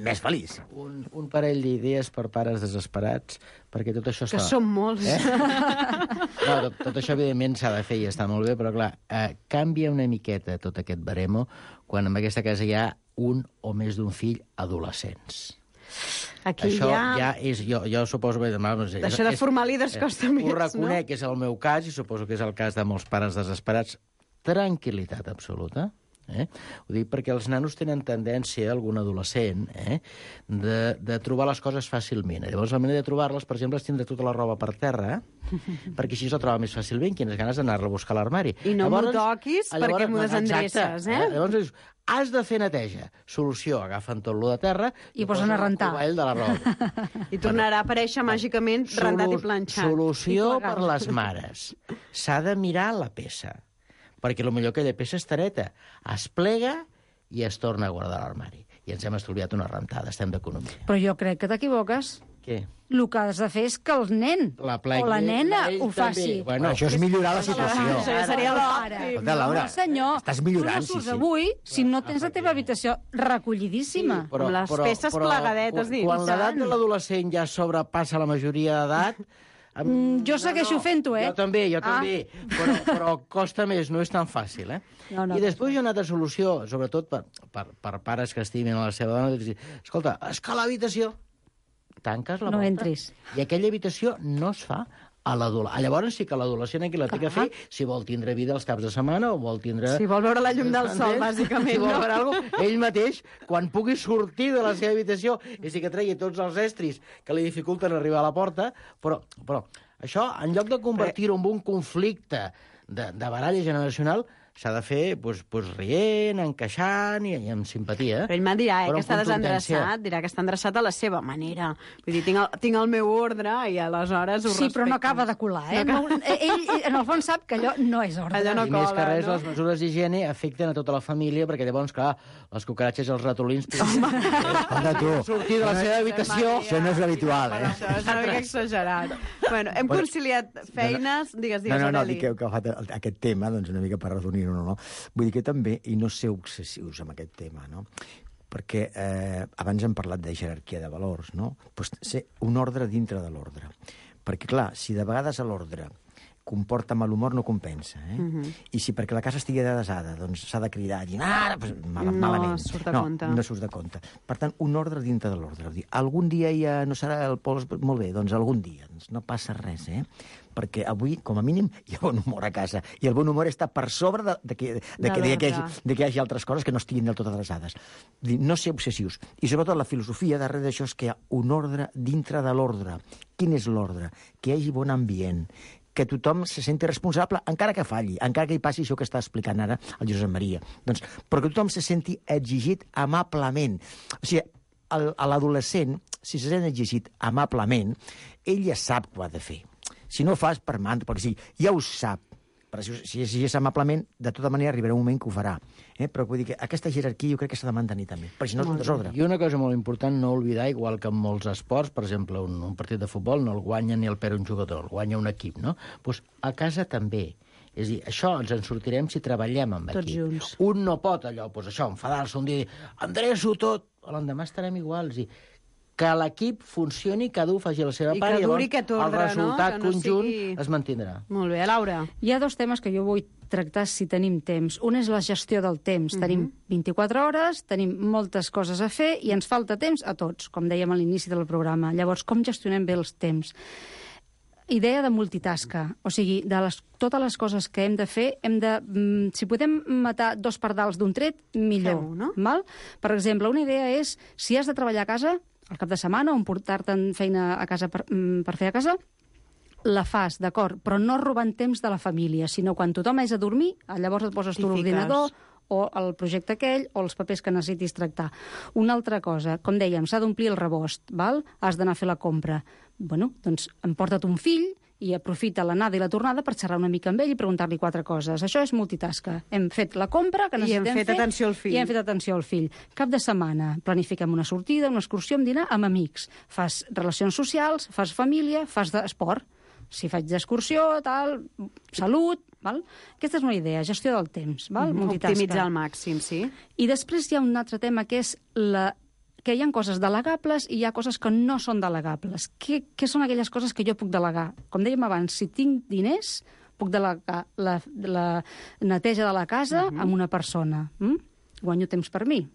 més feliç. Un, un parell d'idees per pares desesperats, perquè tot això... Que està... són molts. Eh? No, tot, tot això, evidentment, s'ha de fer i està molt bé, però, clar, eh, canvia una miqueta tot aquest baremo quan en aquesta casa hi ha un o més d'un fill adolescents. Aquí això ja... ja és... Jo, jo suposo... Que, no sé, això de formar líders eh, costa més, no? Ho reconec, no? és el meu cas, i suposo que és el cas de molts pares desesperats. Tranquil·litat absoluta. Eh? Ho dic perquè els nanos tenen tendència, algun adolescent, eh? de, de trobar les coses fàcilment. Llavors, la manera de trobar-les, per exemple, és tindre tota la roba per terra, perquè així la troba més fàcilment, quines ganes d'anar-la a buscar a l'armari. I no m'ho toquis perquè m'ho desendreces, eh? Llavors, has de fer neteja. Solució, agafen tot lo de terra i posen a rentar. El cubell de la roba. I tornarà a aparèixer màgicament rentat i planxat. Solució per les mares. S'ha de mirar la peça, perquè potser aquella peça estareta es plega i es torna a guardar a l'armari. I ens hem estalviat una rentada, estem d'economia. Però jo crec que t'equivoques. Què? El que has de fer és que el nen la plegui, o la nena ho també. faci. Bueno, això és millorar la situació. Això seria l'òptim. Escolta, Laura, no, senyor, estàs millorant, tu no surts sí, sí. avui si no tens la teva habitació recollidíssima. Sí, però, amb les però, peces però, plegadetes dins. Quan l'edat de l'adolescent ja sobrepassa la majoria d'edat... Mm, jo segueixo no, no. fent-ho, eh? Jo també, jo Ah. també. Però, però costa més, no és tan fàcil, eh? No, no, I després hi ha una altra solució, sobretot per, per, per pares que estimen a la seva dona, dir, escolta, és que l'habitació... Tanques la No porta. entris. I aquella habitació no es fa a l'adolescent. Llavors sí que l'adolescent aquí la té que fer si vol tindre vida els caps de setmana o vol tindre... Si vol veure la llum del sol, Entens? bàsicament, si vol no? veure alguna cosa, ell mateix, quan pugui sortir de la seva habitació, i sí que tregui tots els estris que li dificulten arribar a la porta, però, però això, en lloc de convertir-ho en un conflicte de, de baralla generacional, s'ha de fer doncs, doncs rient, encaixant i, i amb simpatia. Però ell me'n dirà, eh, Però que amb està contundència. desendreçat, dirà que està endreçat a la seva manera. Vull dir, tinc el, tinc el meu ordre i aleshores ho Sí, respecto. però no acaba de colar, eh? No No, ell, en el fons, sap que allò no és ordre. Allò no I més cola, que res, no? les mesures d'higiene afecten a tota la família, perquè llavors, clar, les cucaratxes i els ratolins poden Anda, tu. sortir de la seva habitació. Això no és habitual, eh? Això és una mica exagerat. Bueno, hem Bueno, conciliat feines... Digues, digues, No, no, no, Aureli. dic que heu agafat el- aquest tema, doncs una mica per redonir-ho, no, no? Vull dir que també, i no ser obsessius amb aquest tema, no? Perquè eh, abans hem parlat de jerarquia de valors, no? Pues ser un ordre dintre de l'ordre. Perquè, clar, si de vegades a l'ordre comporta mal humor, no compensa, eh? Mhm. I si perquè la casa estigui desada, doncs s'ha de cridar i dir, ah, pues, mal, No malament. surt de no, compte. No surt de compte. Per tant, un ordre dintre de l'ordre. Vull dir, algun dia ja no serà el pols... Molt bé, doncs algun dia. Doncs no passa res, eh? Perquè avui, com a mínim, hi ha bon humor a casa. I el bon humor està per sobre de, de, que, de, De que, de, que, hi l'ordre. hagi, de que hi hagi altres coses que no estiguin del tot adreçades. Vull dir, no ser obsessius. I sobretot la filosofia darrere d'això és que hi ha un ordre dintre de l'ordre. Quin és l'ordre? Que hi hagi bon ambient, que tothom se senti responsable, encara que falli, encara que hi passi això que està explicant ara el Josep Maria. Doncs, però que tothom se senti exigit amablement. O sigui, el, a l'adolescent, si se sent exigit amablement, ell ja sap què ha de fer. Si no ho fas per mantra, perquè sí, ja ho sap. Però si, si exigeix amablement, de tota manera arribarà un moment que ho farà. Eh? Però vull dir que aquesta jerarquia jo crec que s'ha de mantenir també, perquè si no és un desordre. I una cosa molt important, no oblidar, igual que en molts esports, per exemple, un, un partit de futbol no el guanya ni el perd un jugador, el guanya un equip, no? Pues a casa també. És a dir, això ens en sortirem si treballem amb Tots equip. junts. Un no pot allò, pues això, enfadar-se un dia i dir, endreço tot, l'endemà estarem iguals. I que l'equip funcioni, cada un faci la seva I part que i duri llavors aquest el ordre, no? resultat Que no conjunt sigui- es mantindrà. Molt bé, Laura. Hi ha dos temes que jo vull tractar si tenim temps. Un és la gestió del temps. Tenim vint-i-quatre hores, tenim moltes coses a fer i ens falta temps a tots, com dèiem a l'inici del programa. Llavors, com gestionem bé els temps? Idea de multitasca, o sigui, de les, totes les coses que hem de fer, hem de, mm, si podem matar dos pardals d'un tret, millor. Fem-ho, no? Val? Per exemple, una idea és, si has de treballar a casa, al cap de setmana, o portar-te'n feina a casa per, mm, per fer a casa, la fas, d'acord, però no robant temps de la família, sinó quan tothom és a dormir, llavors et poses tu T'hi fiques. l'ordinador, o el projecte aquell, o els papers que necessitis tractar. Una altra cosa, com dèiem, s'ha d'omplir el rebost, val? Has d'anar a fer la compra. Bueno, doncs emporta't un fill i aprofita l'anada i la tornada per xerrar una mica amb ell i preguntar-li quatre coses. Això és multitasca. Hem fet la compra que I hem necessitem fet fer, atenció al fill. I hem fet atenció al fill. Cap de setmana planifiquem una sortida, una excursió, un dinar amb amics. Fas relacions socials, fas família, fas esport. Si faig d'excursió, tal, salut, val? Aquesta és una idea, gestió del temps, val? Multitasca. Optimitzar al màxim, sí. I després hi ha un altre tema que és la que hi ha coses delegables i hi ha coses que no són delegables. Què, què són aquelles coses que jo puc delegar? Com dèiem abans, si tinc diners, puc delegar la, la neteja de la casa uh-huh. amb una persona. Mm? Guanyo temps per mi.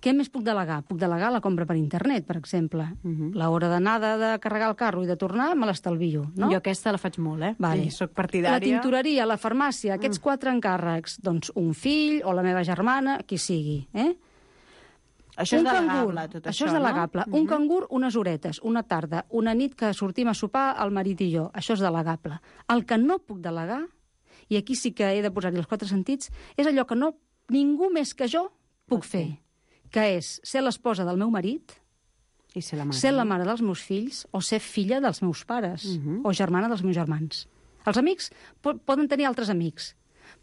Què més puc delegar? Puc delegar la compra per internet, per exemple. Uh-huh. L'hora d'anada de carregar el carro i de tornar me l'estalvio, no? Jo aquesta la faig molt, eh? Vale. Sí, soc partidària. La tintoreria, la farmàcia, aquests Mm. quatre encàrrecs, doncs un fill o la meva germana, qui sigui, eh? Això un és delegable, cangur, tot això això, és delegable. no? Un cangur, unes horetes, una tarda, una nit que sortim a sopar el marit i jo, això és delegable. El que no puc delegar, i aquí sí que he de posar-hi els quatre sentits, és allò que no ningú més que jo puc fer, que és ser l'esposa del meu marit, I ser la mare. ser la mare dels meus fills o ser filla dels meus pares Mhm. o germana dels meus germans. Els amics po poden tenir altres amics,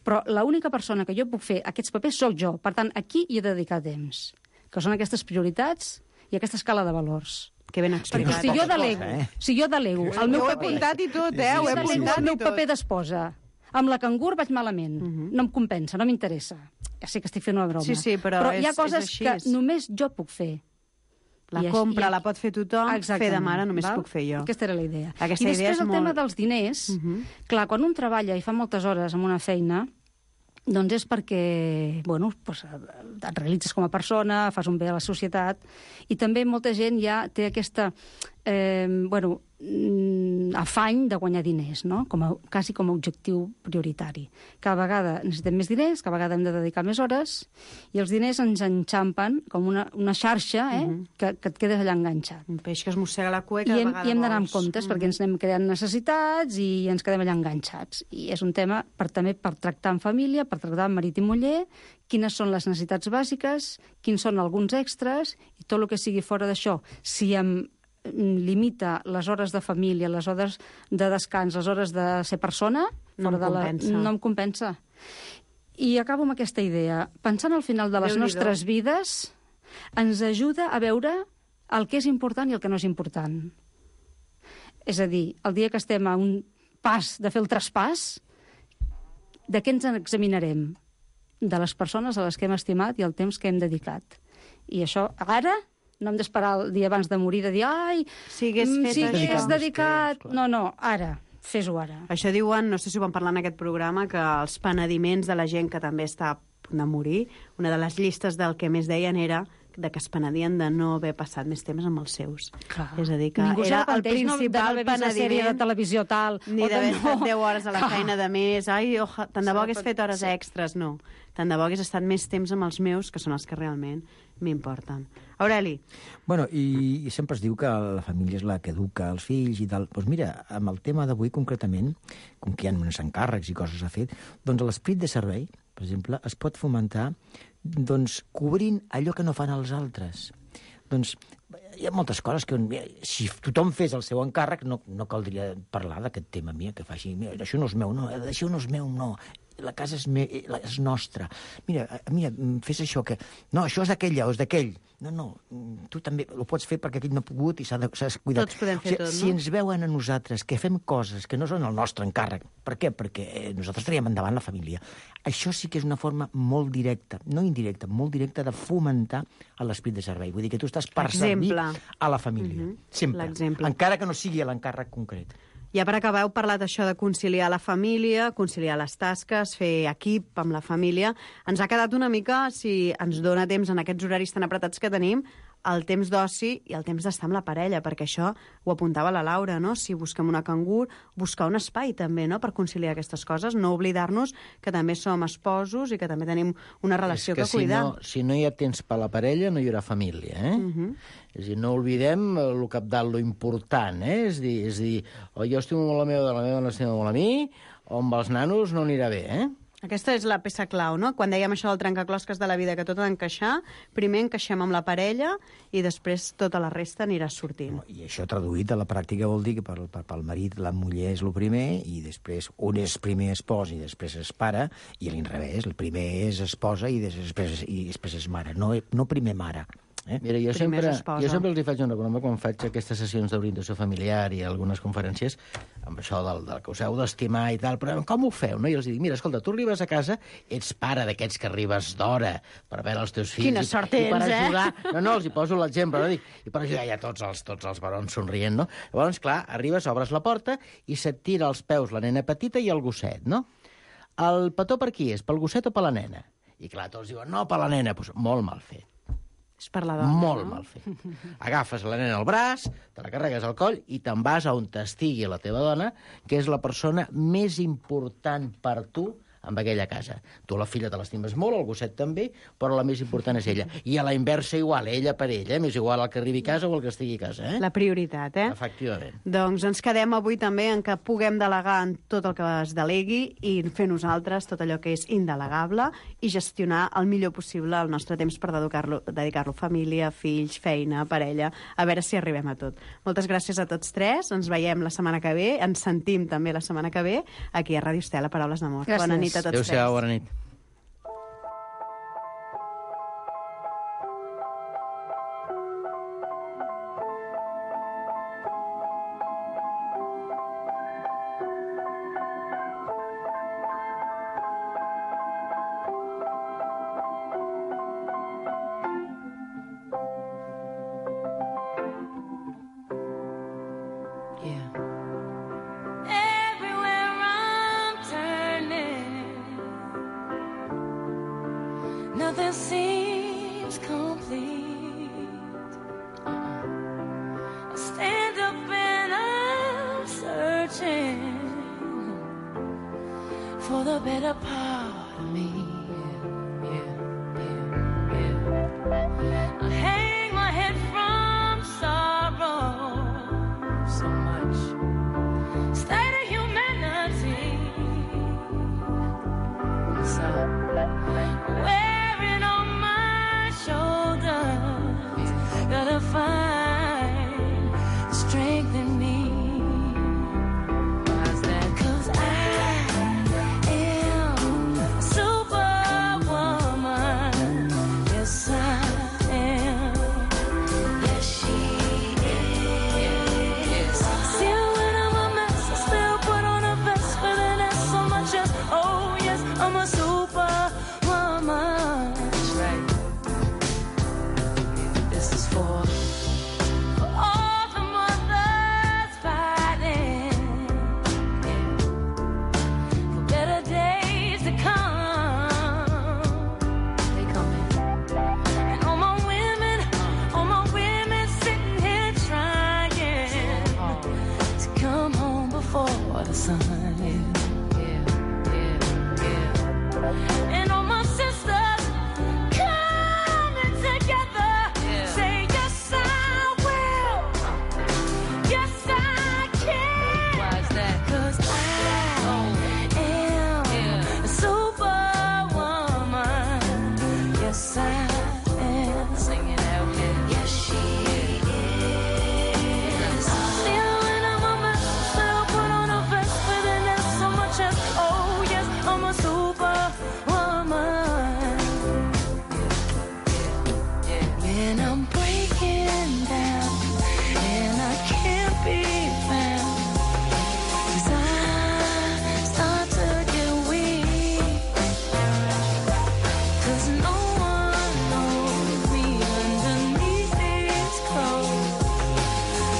però l'única persona que jo puc fer aquests papers sóc jo. Per tant, aquí hi he de dedicar temps, que són aquestes prioritats i aquesta escala de valors. Que ben Perquè explicat. si jo delego, eh? si jo delego el meu Jo ho he paper, apuntat i tot, eh? si Ho he jo delego apuntat el i meu tot. paper d'esposa, amb la cangur vaig malament. Mhm. No em compensa, no m'interessa. Ja sé que estic fent una broma. Sí, sí, però però hi ha és- coses és així. que només jo puc fer. La I així- compra i- la pot fer tothom, fer de mare només val? puc fer jo. Aquesta era la idea. Aquesta I idea després és el tema molt- dels diners, Mhm. clar, quan un treballa i fa moltes hores en una feina, doncs és perquè, bueno, doncs, et realitzes com a persona, fas un bé a la societat, i també molta gent ja té aquesta, eh, bueno, mm, afany de guanyar diners, no? Com a, quasi com a objectiu prioritari. Cada vegada necessitem més diners, cada vegada hem de dedicar més hores, i els diners ens enxampen com una, una xarxa eh, uh -huh. que, que et quedes allà enganxat. Un peix que es mossega la cua i cada I hem, vegada i hem d'anar amb vols. comptes, uh -huh. perquè ens anem creant necessitats i ens quedem allà enganxats. I és un tema per, també per tractar en família, per tractar amb marit i muller, quines són les necessitats bàsiques, quins són alguns extras, i tot el que sigui fora d'això. Si em limita les hores de família, les hores de descans, les hores de ser persona, no, fora em de la, no em compensa. I acabo amb aquesta idea. Pensant al final de les Déu-n'hi-do. nostres vides, ens ajuda a veure el que és important i el que no és important. És a dir, el dia que estem a un pas de fer el traspàs, de què ens examinarem? De les persones a les que hem estimat i el temps que hem dedicat. I això, ara, no hem d'esperar el dia abans de morir de dir ai, si hagués fet si això. hagués dedicat... No, no, ara, fes-ho ara. Això diuen, no sé si ho vam parlar en aquest programa, que els penediments de la gent que també està a punt de morir, una de les llistes del que més deien era de que es penedien de no haver passat més temps amb els seus. Clar. És a dir, que ningú era el principal no, de no haver vist la sèrie de televisió tal... Ni d'haver no. estat deu hores a la feina de més. Ai, oja, tant de bo hagués fet hores sí. extres. No. Tant de bo hagués estat més temps amb els meus, que són els que realment m'importen. Aureli. Bueno, i, i sempre es diu que la família és la que educa els fills i tal. Doncs mira, amb el tema d'avui concretament, com que hi ha uns encàrrecs i coses a fer, doncs l'esperit de servei, per exemple, es pot fomentar doncs, cobrint allò que no fan els altres. Doncs hi ha moltes coses que... Mira, si tothom fes el seu encàrrec, no, no caldria parlar d'aquest tema, mira, que faci... Mira, això no és meu, no, això no és meu, no. La casa és, me, és nostra. Mira, mira, fes això, que... No, això és d'aquella o és d'aquell. No, no, tu també ho pots fer perquè aquell no ha pogut i s'ha de, s'ha de cuidar. Tots podem fer o sigui, tot, no? Si ens veuen a nosaltres que fem coses que no són el nostre encàrrec, per què? Perquè nosaltres traiem endavant la família. Això sí que és una forma molt directa, no indirecta, molt directa de fomentar l'esperit de servei. Vull dir que tu estàs per servir a la família. Uh-huh. Sempre. Encara que no sigui l'encàrrec concret. Ja per acabar, heu parlat això de conciliar la família, conciliar les tasques, fer equip amb la família. Ens ha quedat una mica, si ens dona temps en aquests horaris tan apretats que tenim, el temps d'oci i el temps d'estar amb la parella, perquè això ho apuntava la Laura, no? Si busquem una cangur, buscar un espai també, no?, per conciliar aquestes coses, no oblidar-nos que també som esposos i que també tenim una relació que, que cuidar. Si no, si no hi ha temps per la parella, no hi haurà família, eh? Uh-huh. És a dir, no oblidem el cabdal, lo important, eh? És a dir, és a dir o jo estimo molt la meva, la meva no estima molt a mi, o amb els nanos no anirà bé, eh? Aquesta és la peça clau, no? Quan dèiem això del trencaclosques de la vida, que tot ha d'encaixar, primer encaixem amb la parella i després tota la resta anirà sortint. I això traduït a la pràctica vol dir que pel, pel marit la muller és el primer i després un és primer espòs i després és pare, i a l'inrevés, el primer és esposa i després, i després és mare, no, no primer mare. Eh? Mira, jo sempre, jo sempre els hi faig una broma quan faig aquestes sessions d'orientació familiar i algunes conferències amb això del, del que us heu d'estimar i tal, però com ho feu? No? I els dic, mira, escolta, tu arribes a casa, ets pare d'aquests que arribes d'hora per veure els teus fills... Quina sort tens, i per ajudar... eh? No, no, els hi poso l'exemple, no? Dic, i per ajudar ja tots els, tots els barons somrient, no? Llavors, clar, arribes, obres la porta i se't tira als peus la nena petita i el gosset, no? El petó per qui és? Pel gosset o per la nena? I clar, tots diuen, no, per la nena. Pues, molt mal fet. És per la dona, Molt no? mal fet. Agafes la nena al braç, te la carregues al coll i te'n vas a on t'estigui la teva dona, que és la persona més important per tu amb aquella casa. Tu la filla te l'estimes molt, el gosset també, però la més important és ella. I a la inversa igual, ella per ella, eh? M'és igual el que arribi a casa o el que estigui a casa. Eh? La prioritat, eh? Efectivament. Doncs ens quedem avui també en que puguem delegar en tot el que es delegui i fer nosaltres tot allò que és indelegable i gestionar el millor possible el nostre temps per dedicar-lo dedicar-lo a família, fills, feina, parella, a veure si arribem a tot. Moltes gràcies a tots tres, ens veiem la setmana que ve, ens sentim també la setmana que ve aquí a Ràdio Estela, Paraules d'Amor. Bona nit a tots tres. Adéu-siau, bona nit. Nothing seems complete. I stand up and I'm certain for the better part of me. Yeah, yeah, yeah, yeah. I hang my head from sorrow so much. State of humanity. So wearing on my shoulders, gotta find strength in me. Why's that? 'Cause I am a superwoman. Yes, I am. Yes, she is. Still when I'm a mess, I still put on a vest with an S so much as, oh yes, I'm a superwoman. That's right. This is for for all the mothers fighting, yeah, for better days to come. They coming. And all my women, all my women sitting here trying to come home before the sun. Yeah, yeah, yeah, yeah. And all my sisters coming together, say yes I will, yes I can. Why's that? 'Cause I am a superwoman. Yes I am. Sing it out, yeah. Yes she is. Still when I'm a mess, still put on a vest with an S so much as, oh yes, I'm a superwoman. When I'm breaking down and I can't be found, 'cause I start to get weak, 'cause no one knows me underneath these clothes,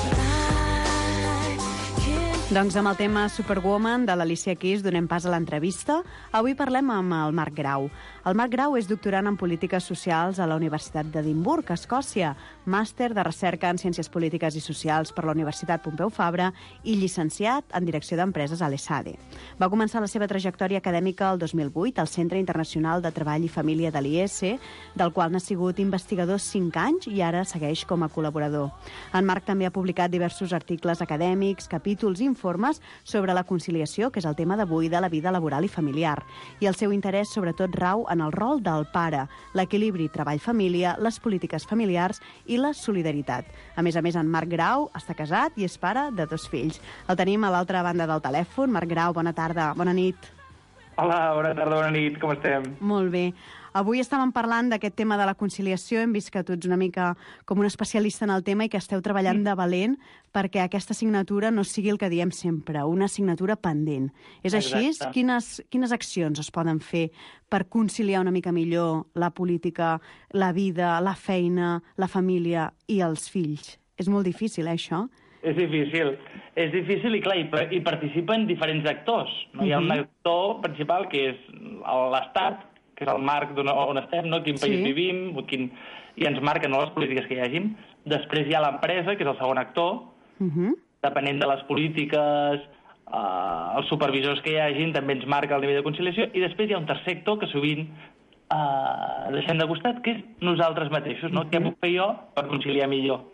but I can't. Doncs amb el tema Superwoman de l'Alicia Keys donem pas a l'entrevista. Avui parlem amb el Marc Grau. El Marc Grau és doctorant en Polítiques Socials a la Universitat d'Edimburg, Escòcia, màster de recerca en Ciències Polítiques i Socials per la Universitat Pompeu Fabra i llicenciat en Direcció d'Empreses a l'E S A D E. Va començar la seva trajectòria acadèmica el dos mil vuit al Centre Internacional de Treball i Família de l'I E S, del qual n'ha sigut investigador cinc anys i ara segueix com a col·laborador. En Marc també ha publicat diversos articles acadèmics, capítols i informes sobre la conciliació, que és el tema d'avui, de la vida laboral i familiar. I el seu interès sobretot rau en el rol del pare, l'equilibri treball-família, les polítiques familiars i la solidaritat. A més a més, en Marc Grau està casat i és pare de dos fills. El tenim a l'altra banda del telèfon. Marc Grau, bona tarda, bona nit. Hola, bona tarda, bona nit, com estem? Molt bé. Avui estàvem parlant d'aquest tema de la conciliació. Hem vist que tu ets una mica com un especialista en el tema i que esteu treballant de valent perquè aquesta assignatura no sigui el que diem sempre, una assignatura pendent. És així? Exacte. Quines, quines accions es poden fer per conciliar una mica millor la política, la vida, la feina, la família i els fills? És molt difícil, eh, això? És difícil. És difícil i, clar, hi, hi participen diferents actors. No? Hi ha un Mhm. actor principal, que és l'Estat, que és el marc d'on on estem, no? Quin país Sí. vivim, quin... i ens marquen, no, les polítiques que hi hagin. Després hi ha l'empresa, que és el segon actor, Mhm. depenent de les polítiques, eh, els supervisors que hi hagin, també ens marca el nivell de conciliació, i després hi ha un tercer actor que sovint eh, deixem de costat, que és nosaltres mateixos, no? Què puc fer jo per conciliar millor?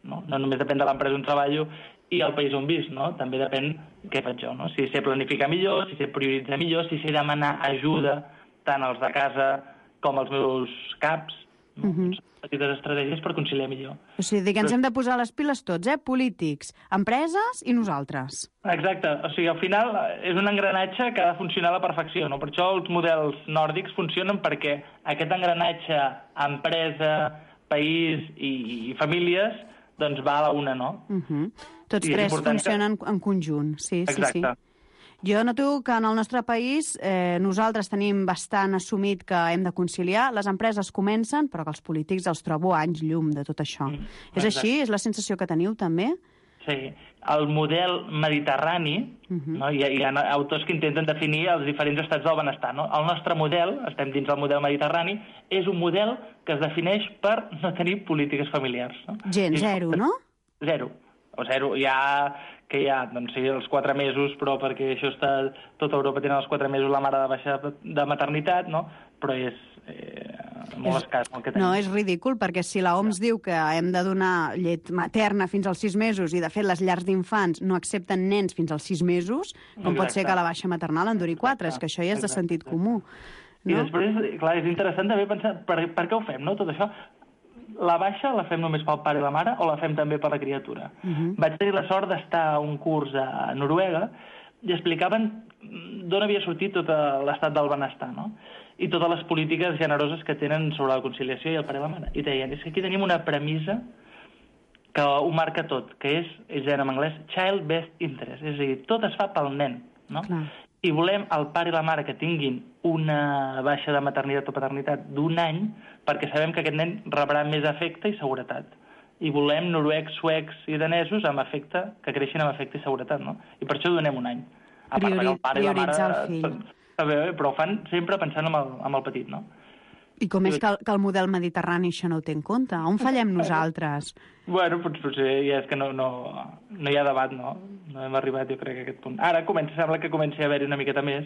No, no només depèn de l'empresa on treballo i el país on visc, no? També depèn què faig jo, no? Si sé planificar millor, si sé prioritzar millor, si sé demanar ajuda tant als de casa com als meus caps, no? Mhm. Petites estratègies per conciliar millor. O sigui, que ens hem de posar les piles tots, eh? Polítics, empreses i nosaltres. Exacte, o sigui, al final és un engranatge que ha de funcionar a la perfecció, no? Per això els models nòrdics funcionen, perquè aquest engranatge empresa, país i, i famílies doncs va a la una, no? Uh -huh. Tots I és tres important que- funcionen en conjunt, sí, sí, sí. Exacte. Jo noto que en el nostre país eh, nosaltres tenim bastant assumit que hem de conciliar, les empreses comencen, però que els polítics els trobo anys llum de tot això. Mm, és exacte. així? És la sensació que teniu, també? Sí, el model mediterrani, Uh -huh. no? hi, ha, hi ha autors que intenten definir els diferents estats del benestar. No? El nostre model, estem dins del model mediterrani, és un model que es defineix per no tenir polítiques familiars. No? Gent, I- zero, no? Zero. o zero, ja que hi ha, doncs sí, els quatre mesos, però perquè això està... Tota Europa tenen els quatre mesos la mare de baixa de maternitat, no? Però és eh, molt escàs el que tenim. No, és ridícul, perquè si l'O M S diu que hem de donar llet materna fins als sis mesos i, de fet, les llars d'infants no accepten nens fins als sis mesos, com Exacte. Pot ser que la baixa maternal en duri quatre? És que això ja és de sentit comú. No? I després, clar, és interessant també pensar per, per què ho fem, no?, tot això. La baixa la fem només pel pare i la mare o la fem també per la criatura? Uh -huh. Vaig tenir la sort d'estar a un curs a Noruega i explicaven d'on havia sortit tot l'estat del benestar, no? I totes les polítiques generoses que tenen sobre la conciliació i el pare i la mare. I deien, és que aquí tenim una premissa que ho marca tot, que és, ells deien en anglès, child best interest, és a dir, tot es fa pel nen, no? Clar. I volem el pare i la mare que tinguin una baixa de maternitat o paternitat d'un any perquè sabem que aquest nen rebrà més afecte i seguretat. I volem noruecs, suecs i danesos amb afecte, que creixin amb afecte i seguretat, no? I per això donem un any. A part que el pare i la mare... El fill. Però ho fan sempre pensant en el, en el petit, no? I com és que el, que el model mediterrani això no ho té en compte? On fallem nosaltres? Bueno, potser ja és que no, no, no hi ha debat, no? No hem arribat, jo crec, a aquest punt. Ara comença, sembla que comenci a haver-hi una miqueta més.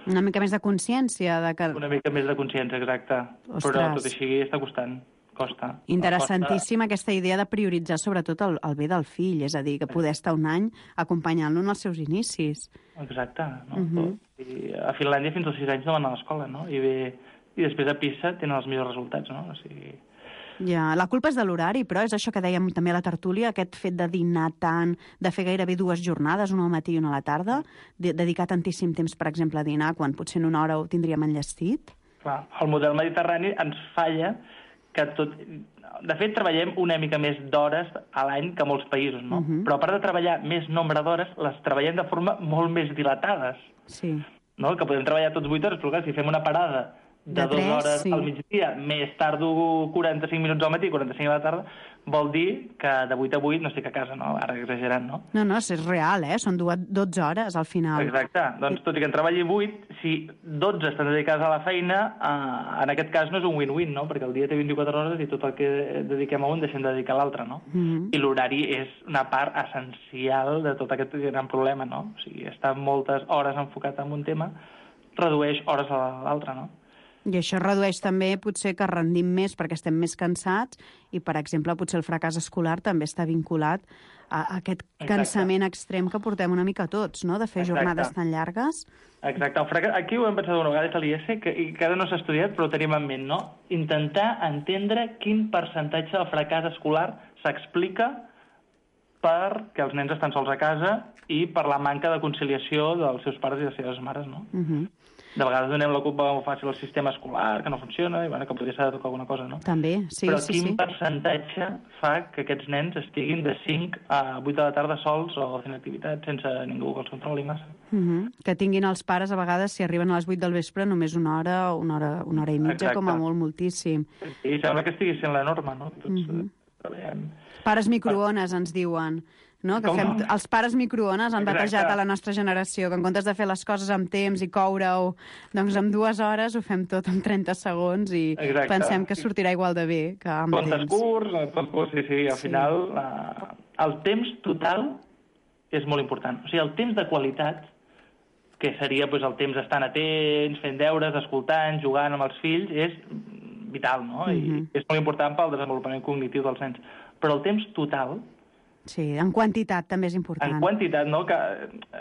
Una mica més de consciència? De que... Una mica més de consciència, exacte. Ostres. Però tot així està costant. Costa. Interessantíssima costa... aquesta idea de prioritzar sobretot el, el bé del fill, és a dir, que poder estar un any acompanyant-lo en els seus inicis. Exacte. No? Uh -huh. I a Finlàndia fins als sis anys no van a l'escola, no? I, bé, i després a PISA tenen els millors resultats, no? O sigui... Ja, la culpa és de l'horari, però és això que dèiem també a la tertúlia, aquest fet de dinar tant, de fer gairebé dues jornades, una al matí i una a la tarda, de dedicar tantíssim temps, per exemple, a dinar, quan potser en una hora ho tindríem enllestit. Clar, el model mediterrani ens falla que tot... De fet, treballem una mica més d'hores a l'any que molts països, no? Uh -huh. Però a part de treballar més nombre d'hores, les treballem de forma molt més dilatades. Sí. No? Que podem treballar tots vuit hores, però clar, si fem una parada de, de dues tres, hores sí. al migdia, més tardo quaranta-cinc minuts al matí i quaranta-cinc a la tarda, vol dir que de vuit a vuit no estic a casa, no? Ara exagerant, no? No, no, és real, eh? Són dotze hores al final. Exacte. Doncs tot i que en treballi vuit, si dotze estan dedicades a la feina, eh, en aquest cas no és un win-win, no? Perquè el dia té vint-i-quatre hores i tot el que dediquem a un deixem de dedicar a l'altre, no? Mm-hmm. I l'horari és una part essencial de tot aquest gran problema, no? O sigui, estar moltes hores enfocat en un tema redueix hores a l'altre, no? I això redueix també, potser, que rendim més perquè estem més cansats i, per exemple, potser el fracàs escolar també està vinculat a aquest Exacte. cansament extrem que portem una mica tots, no?, de fer Exacte. jornades tan llargues. Exacte. El fracàs... Aquí ho hem pensat una vegada, a l'I E S, que, i que ara no s'ha estudiat, però ho tenim en ment, no? Intentar entendre quin percentatge del fracàs escolar s'explica perquè els nens estan sols a casa i per la manca de conciliació dels seus pares i les seves mares, no? Uh -huh. De vegades donem la culpa molt fàcil al sistema escolar, que no funciona, i bueno, que podria ser de tocar alguna cosa, no? També, sí, Però sí, quin sí. percentatge fa que aquests nens estiguin de cinc a vuit de la tarda sols o fent activitat sense ningú que els controli massa? Uh -huh. Que tinguin els pares, a vegades, si arriben a les vuit del vespre, només una hora o una hora, una hora i mitja, Exacte. com a molt, moltíssim. I sembla que estigui sent la norma, no? Tots uh -huh. treballem. Pares microones, ens diuen. No? Que fem, els pares microones han Exacte. batejat a la nostra generació, que en comptes de fer les coses amb temps i coure-ho, doncs en dues hores ho fem tot en trenta segons i Exacte. pensem que sortirà igual de bé que amb Comptes temps. curts, tot curs, sí, sí, al sí. final la... el temps total és molt important. O sigui, el temps de qualitat, que seria doncs, el temps estant atents, fent deures, escoltant, jugant amb els fills, és vital, no? I uh-huh. és molt important pel desenvolupament cognitiu dels nens. Però el temps total... Sí, en quantitat també és important. En quantitat, no? Que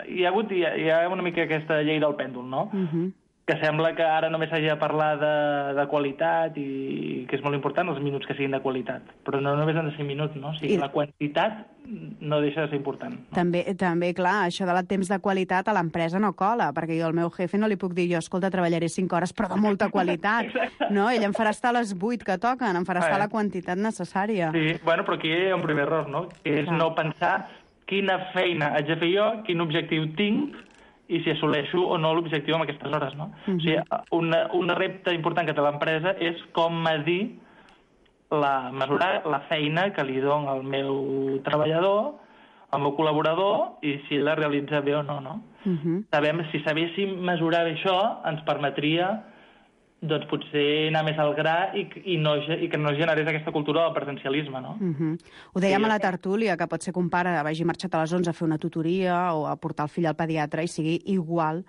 hi ha hagut hi ha, hi ha una mica aquesta llei del pèndol, no? Uh-huh. Que sembla que ara només s'hagi de parlar de, de qualitat i que és molt important els minuts que siguin de qualitat. Però no només han de ser minuts, no? O sigui, I... la quantitat no deixa de ser important. No? També, també, clar, això de temps de qualitat a l'empresa no cola, perquè jo al meu jefe no li puc dir jo, escolta, treballaré cinc hores, però de molta qualitat. No? Ell em farà estar a les vuit que toquen, em farà estar a la quantitat necessària. Sí, bueno, però aquí hi ha un primer error, no? Que és no pensar quina feina haig de fer jo, quin objectiu tinc, i si assoleixo o no l'objectiu amb aquestes hores, no? Uh-huh. O sigui, una, un repte important que té l'empresa és com medir la, mesurar la feina que li dono al meu treballador, al meu col·laborador, i si la realitza bé o no, no? Uh-huh. Sabem, si sabéssim mesurar bé això, ens permetria doncs potser anar més al gra i, i, no, i que no generés aquesta cultura del presencialisme, no? Uh-huh. Ho dèiem sí, a la tertúlia, que pot ser que un pare vagi marxat a les onze a fer una tutoria o a portar el fill al pediatre i sigui igual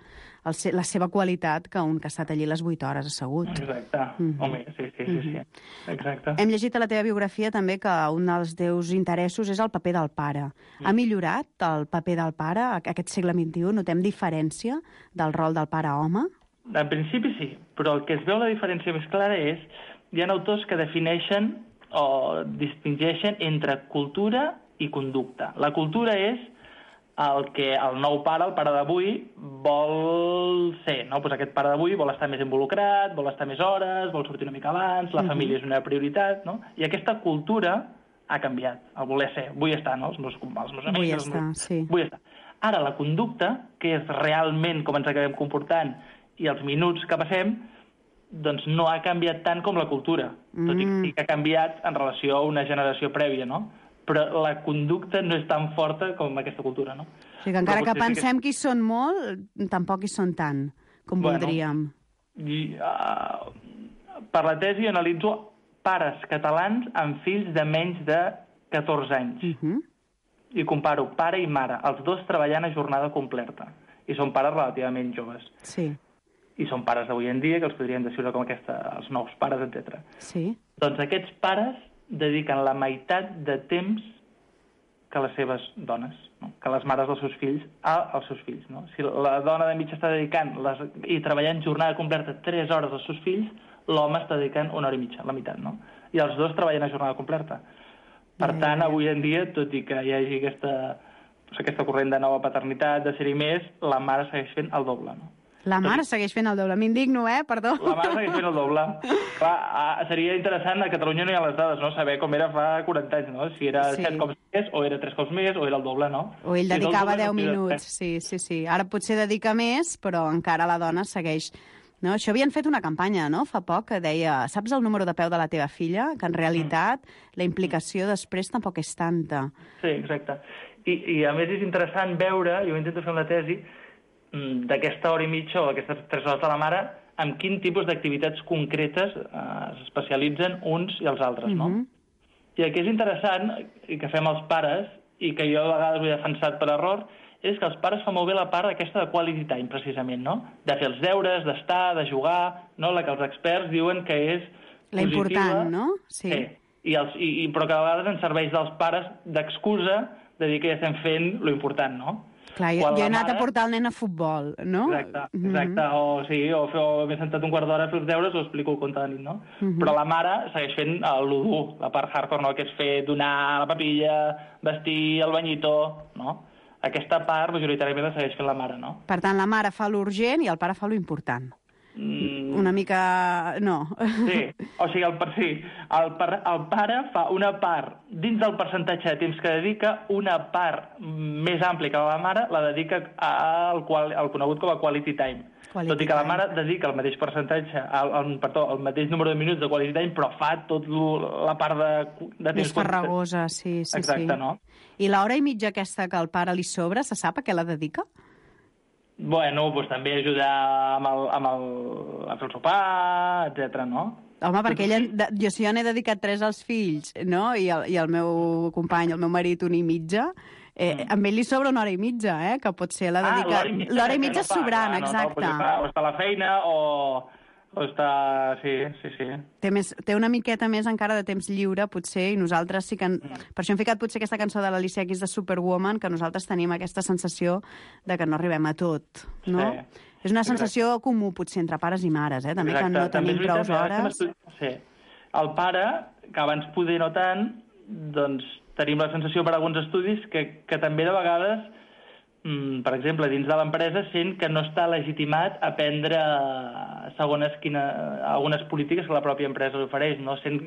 el, la seva qualitat que un que ha estat allí les vuit hores assegut. Exacte. Uh-huh. Home, sí, sí, sí, sí. Uh-huh. Exacte. Hem llegit a la teva biografia també que un dels teus interessos és el paper del pare. Uh-huh. Ha millorat el paper del pare aquest segle vint-i-u? Notem diferència del rol del pare home? En principi sí, però el que es veu la diferència més clara és hi ha autors que defineixen o distingeixen entre cultura i conducta. La cultura és el que el nou pare, el pare d'avui, vol ser, no? Pues aquest pare d'avui vol estar més involucrat, vol estar més hores, vol sortir una mica abans, la uh-huh. família és una prioritat, no? I aquesta cultura ha canviat, el voler ser. Vull estar, no? Els meus, els meus amics... Vull estar, meus... sí. Vull estar. Ara, la conducta, que és realment com ens acabem comportant i els minuts que passem, doncs no ha canviat tant com la cultura, mm. tot i que, que ha canviat en relació a una generació prèvia, no? Però la conducta no és tan forta com aquesta cultura, no? O sigui que encara que pensem que... que hi són molt, tampoc hi són tant com bueno, voldríem. I, uh, per la tesi analitzo pares catalans amb fills de menys de catorze anys. Uh-huh. I comparo pare i mare, els dos treballant a jornada completa. I són pares relativament joves. Sí. I són pares d'avui en dia, que els podríem descriure com aquesta, els nous pares, etcètera. Sí. Doncs aquests pares dediquen la meitat de temps que les seves dones, no? Que les mares dels seus fills als seus fills. No? Si la dona de mig està dedicant les, i treballant jornada completa tres hores als seus fills, l'home està dedicant una hora i mitja, la meitat, no? I els dos treballen a jornada completa. Per yeah. tant, avui en dia, tot i que hi hagi aquesta, aquesta corrent de nova paternitat, de ser-hi més, la mare segueix fent el doble, no? La mare segueix fent el doble. M'indigno, eh? Perdó. La mare segueix fent el doble. Clar, seria interessant, a Catalunya no hi ha les dades, no? Saber com era fa quaranta anys, no? Si era sí. set cops més, o era tres cops més, o era el doble, no? O ell si dedicava doble, deu minuts, sí, sí, sí. Ara potser dedica més, però encara la dona segueix... No? Això havien fet una campanya, no?, fa poc, que deia, saps el número de peu de la teva filla? Que en realitat la implicació després tampoc és tanta. Sí, exacte. I, i a més és interessant veure, jo intento fer amb la tesi, d'aquesta hora i mitja o d'aquestes tres hores de la mare, amb quin tipus d'activitats concretes eh, s'especialitzen uns i els altres, no? Uh-huh. I el que és interessant, i que fem els pares, i que jo a vegades ho he defensat per error, és que els pares fan molt bé la part aquesta de quality time, precisament, no? De fer els deures, d'estar, de jugar, no? La que els experts diuen que és la positiva. Important, no? Sí. sí. I els, i, i, però que a vegades ens serveix dels pares d'excusa de dir que ja estem fent lo important, no? Clar, jo, jo he anat mare... a portar el nen a futbol, no? Exacte, exacte. Mm-hmm. O, sí, o, o, o m'he sentat un quart d'hora a fer els deures o explico el conte de nit, no? Mm-hmm. Però la mare segueix fent l'u dur, la part hardcore, no? Que és fer donar la papilla, vestir el banyito, no? Aquesta part majoritàriament la segueix fent la mare, no? Per tant, la mare fa l'urgent i el pare fa l'important. Mm. Una mica... no. Sí, o sigui, el, sí, el, el pare fa una part, dins del percentatge de temps que dedica, una part més àmplia que la mare la dedica al, qual, al conegut com a quality time. Quality Tot i que la mare dedica el mateix percentatge, el, el, perdó, el mateix número de minuts de quality time, però fa tot la part de, de temps... Més farragosa, sí, sí, Exacte, sí. No? I l'hora i mitja aquesta que el pare li sobra, se sap a què la dedica? Bueno, doncs també ajudar amb el, amb el, a fer el sopar, etcètera, no? Home, perquè ella, jo si jo n'he dedicat tres als fills, no?, i el, i el meu company, el meu marit, una i mitja, eh, mm. amb ell li sobra una hora i mitja, eh?, que pot ser la dedicat... Ah, l'hora i mitja, mitja no sobrant, no, exacte. No, no, o està a la feina, o... O està... Sí, sí, sí. Té, més, té una miqueta més encara de temps lliure, potser, i nosaltres sí que... En... Per això hem ficat potser aquesta cançó de l'Alicia Keys de Superwoman, que nosaltres tenim aquesta sensació de que no arribem a tot, no? Sí. És una sensació Exacte. comú, potser, entre pares i mares, eh? També Exacte. que no tenim prou hores. Sí. El pare, que abans poder no tant, doncs tenim la sensació per alguns estudis que, que també de vegades... per exemple, dins de l'empresa, sent que no està legitimat a prendre segons quina, algunes polítiques que la pròpia empresa ofereix. No? Sent,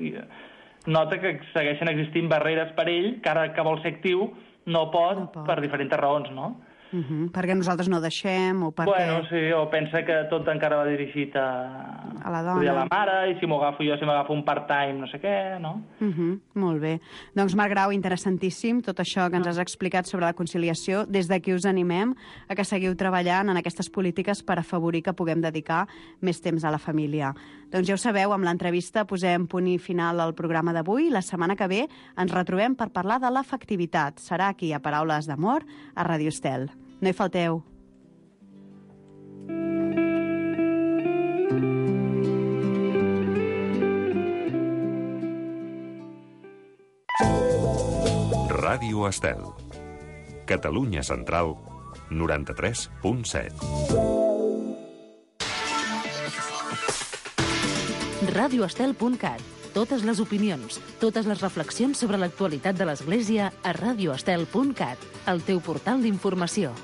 nota que segueixen existint barreres per ell, que ara que vol ser actiu no pot, no pot. Per diferents raons, no? Uh -huh. Perquè nosaltres no deixem, o perquè... Bueno, sí, o pensa que tot encara va dirigit a, a la dona, a la mare, i si m'ho agafo jo, si m'agafo un part-time, no sé què, no? Uh -huh. Molt bé. Doncs, Marc Grau, interessantíssim tot això que ens has explicat sobre la conciliació. Des d'aquí us animem a que seguiu treballant en aquestes polítiques per afavorir que puguem dedicar més temps a la família. Doncs ja ho sabeu, amb l'entrevista posem punt i final al programa d'avui. La setmana que ve ens retrobem per parlar de l'afectivitat. Serà aquí a Paraules d'Amor, a Ràdio Estel. No hi falteu. Ràdio Estel. Catalunya Central, noranta-tres punt set. radioestel punt cat. Totes les opinions, totes les reflexions sobre l'actualitat de l'Església a radioestel punt cat, el teu portal d'informació.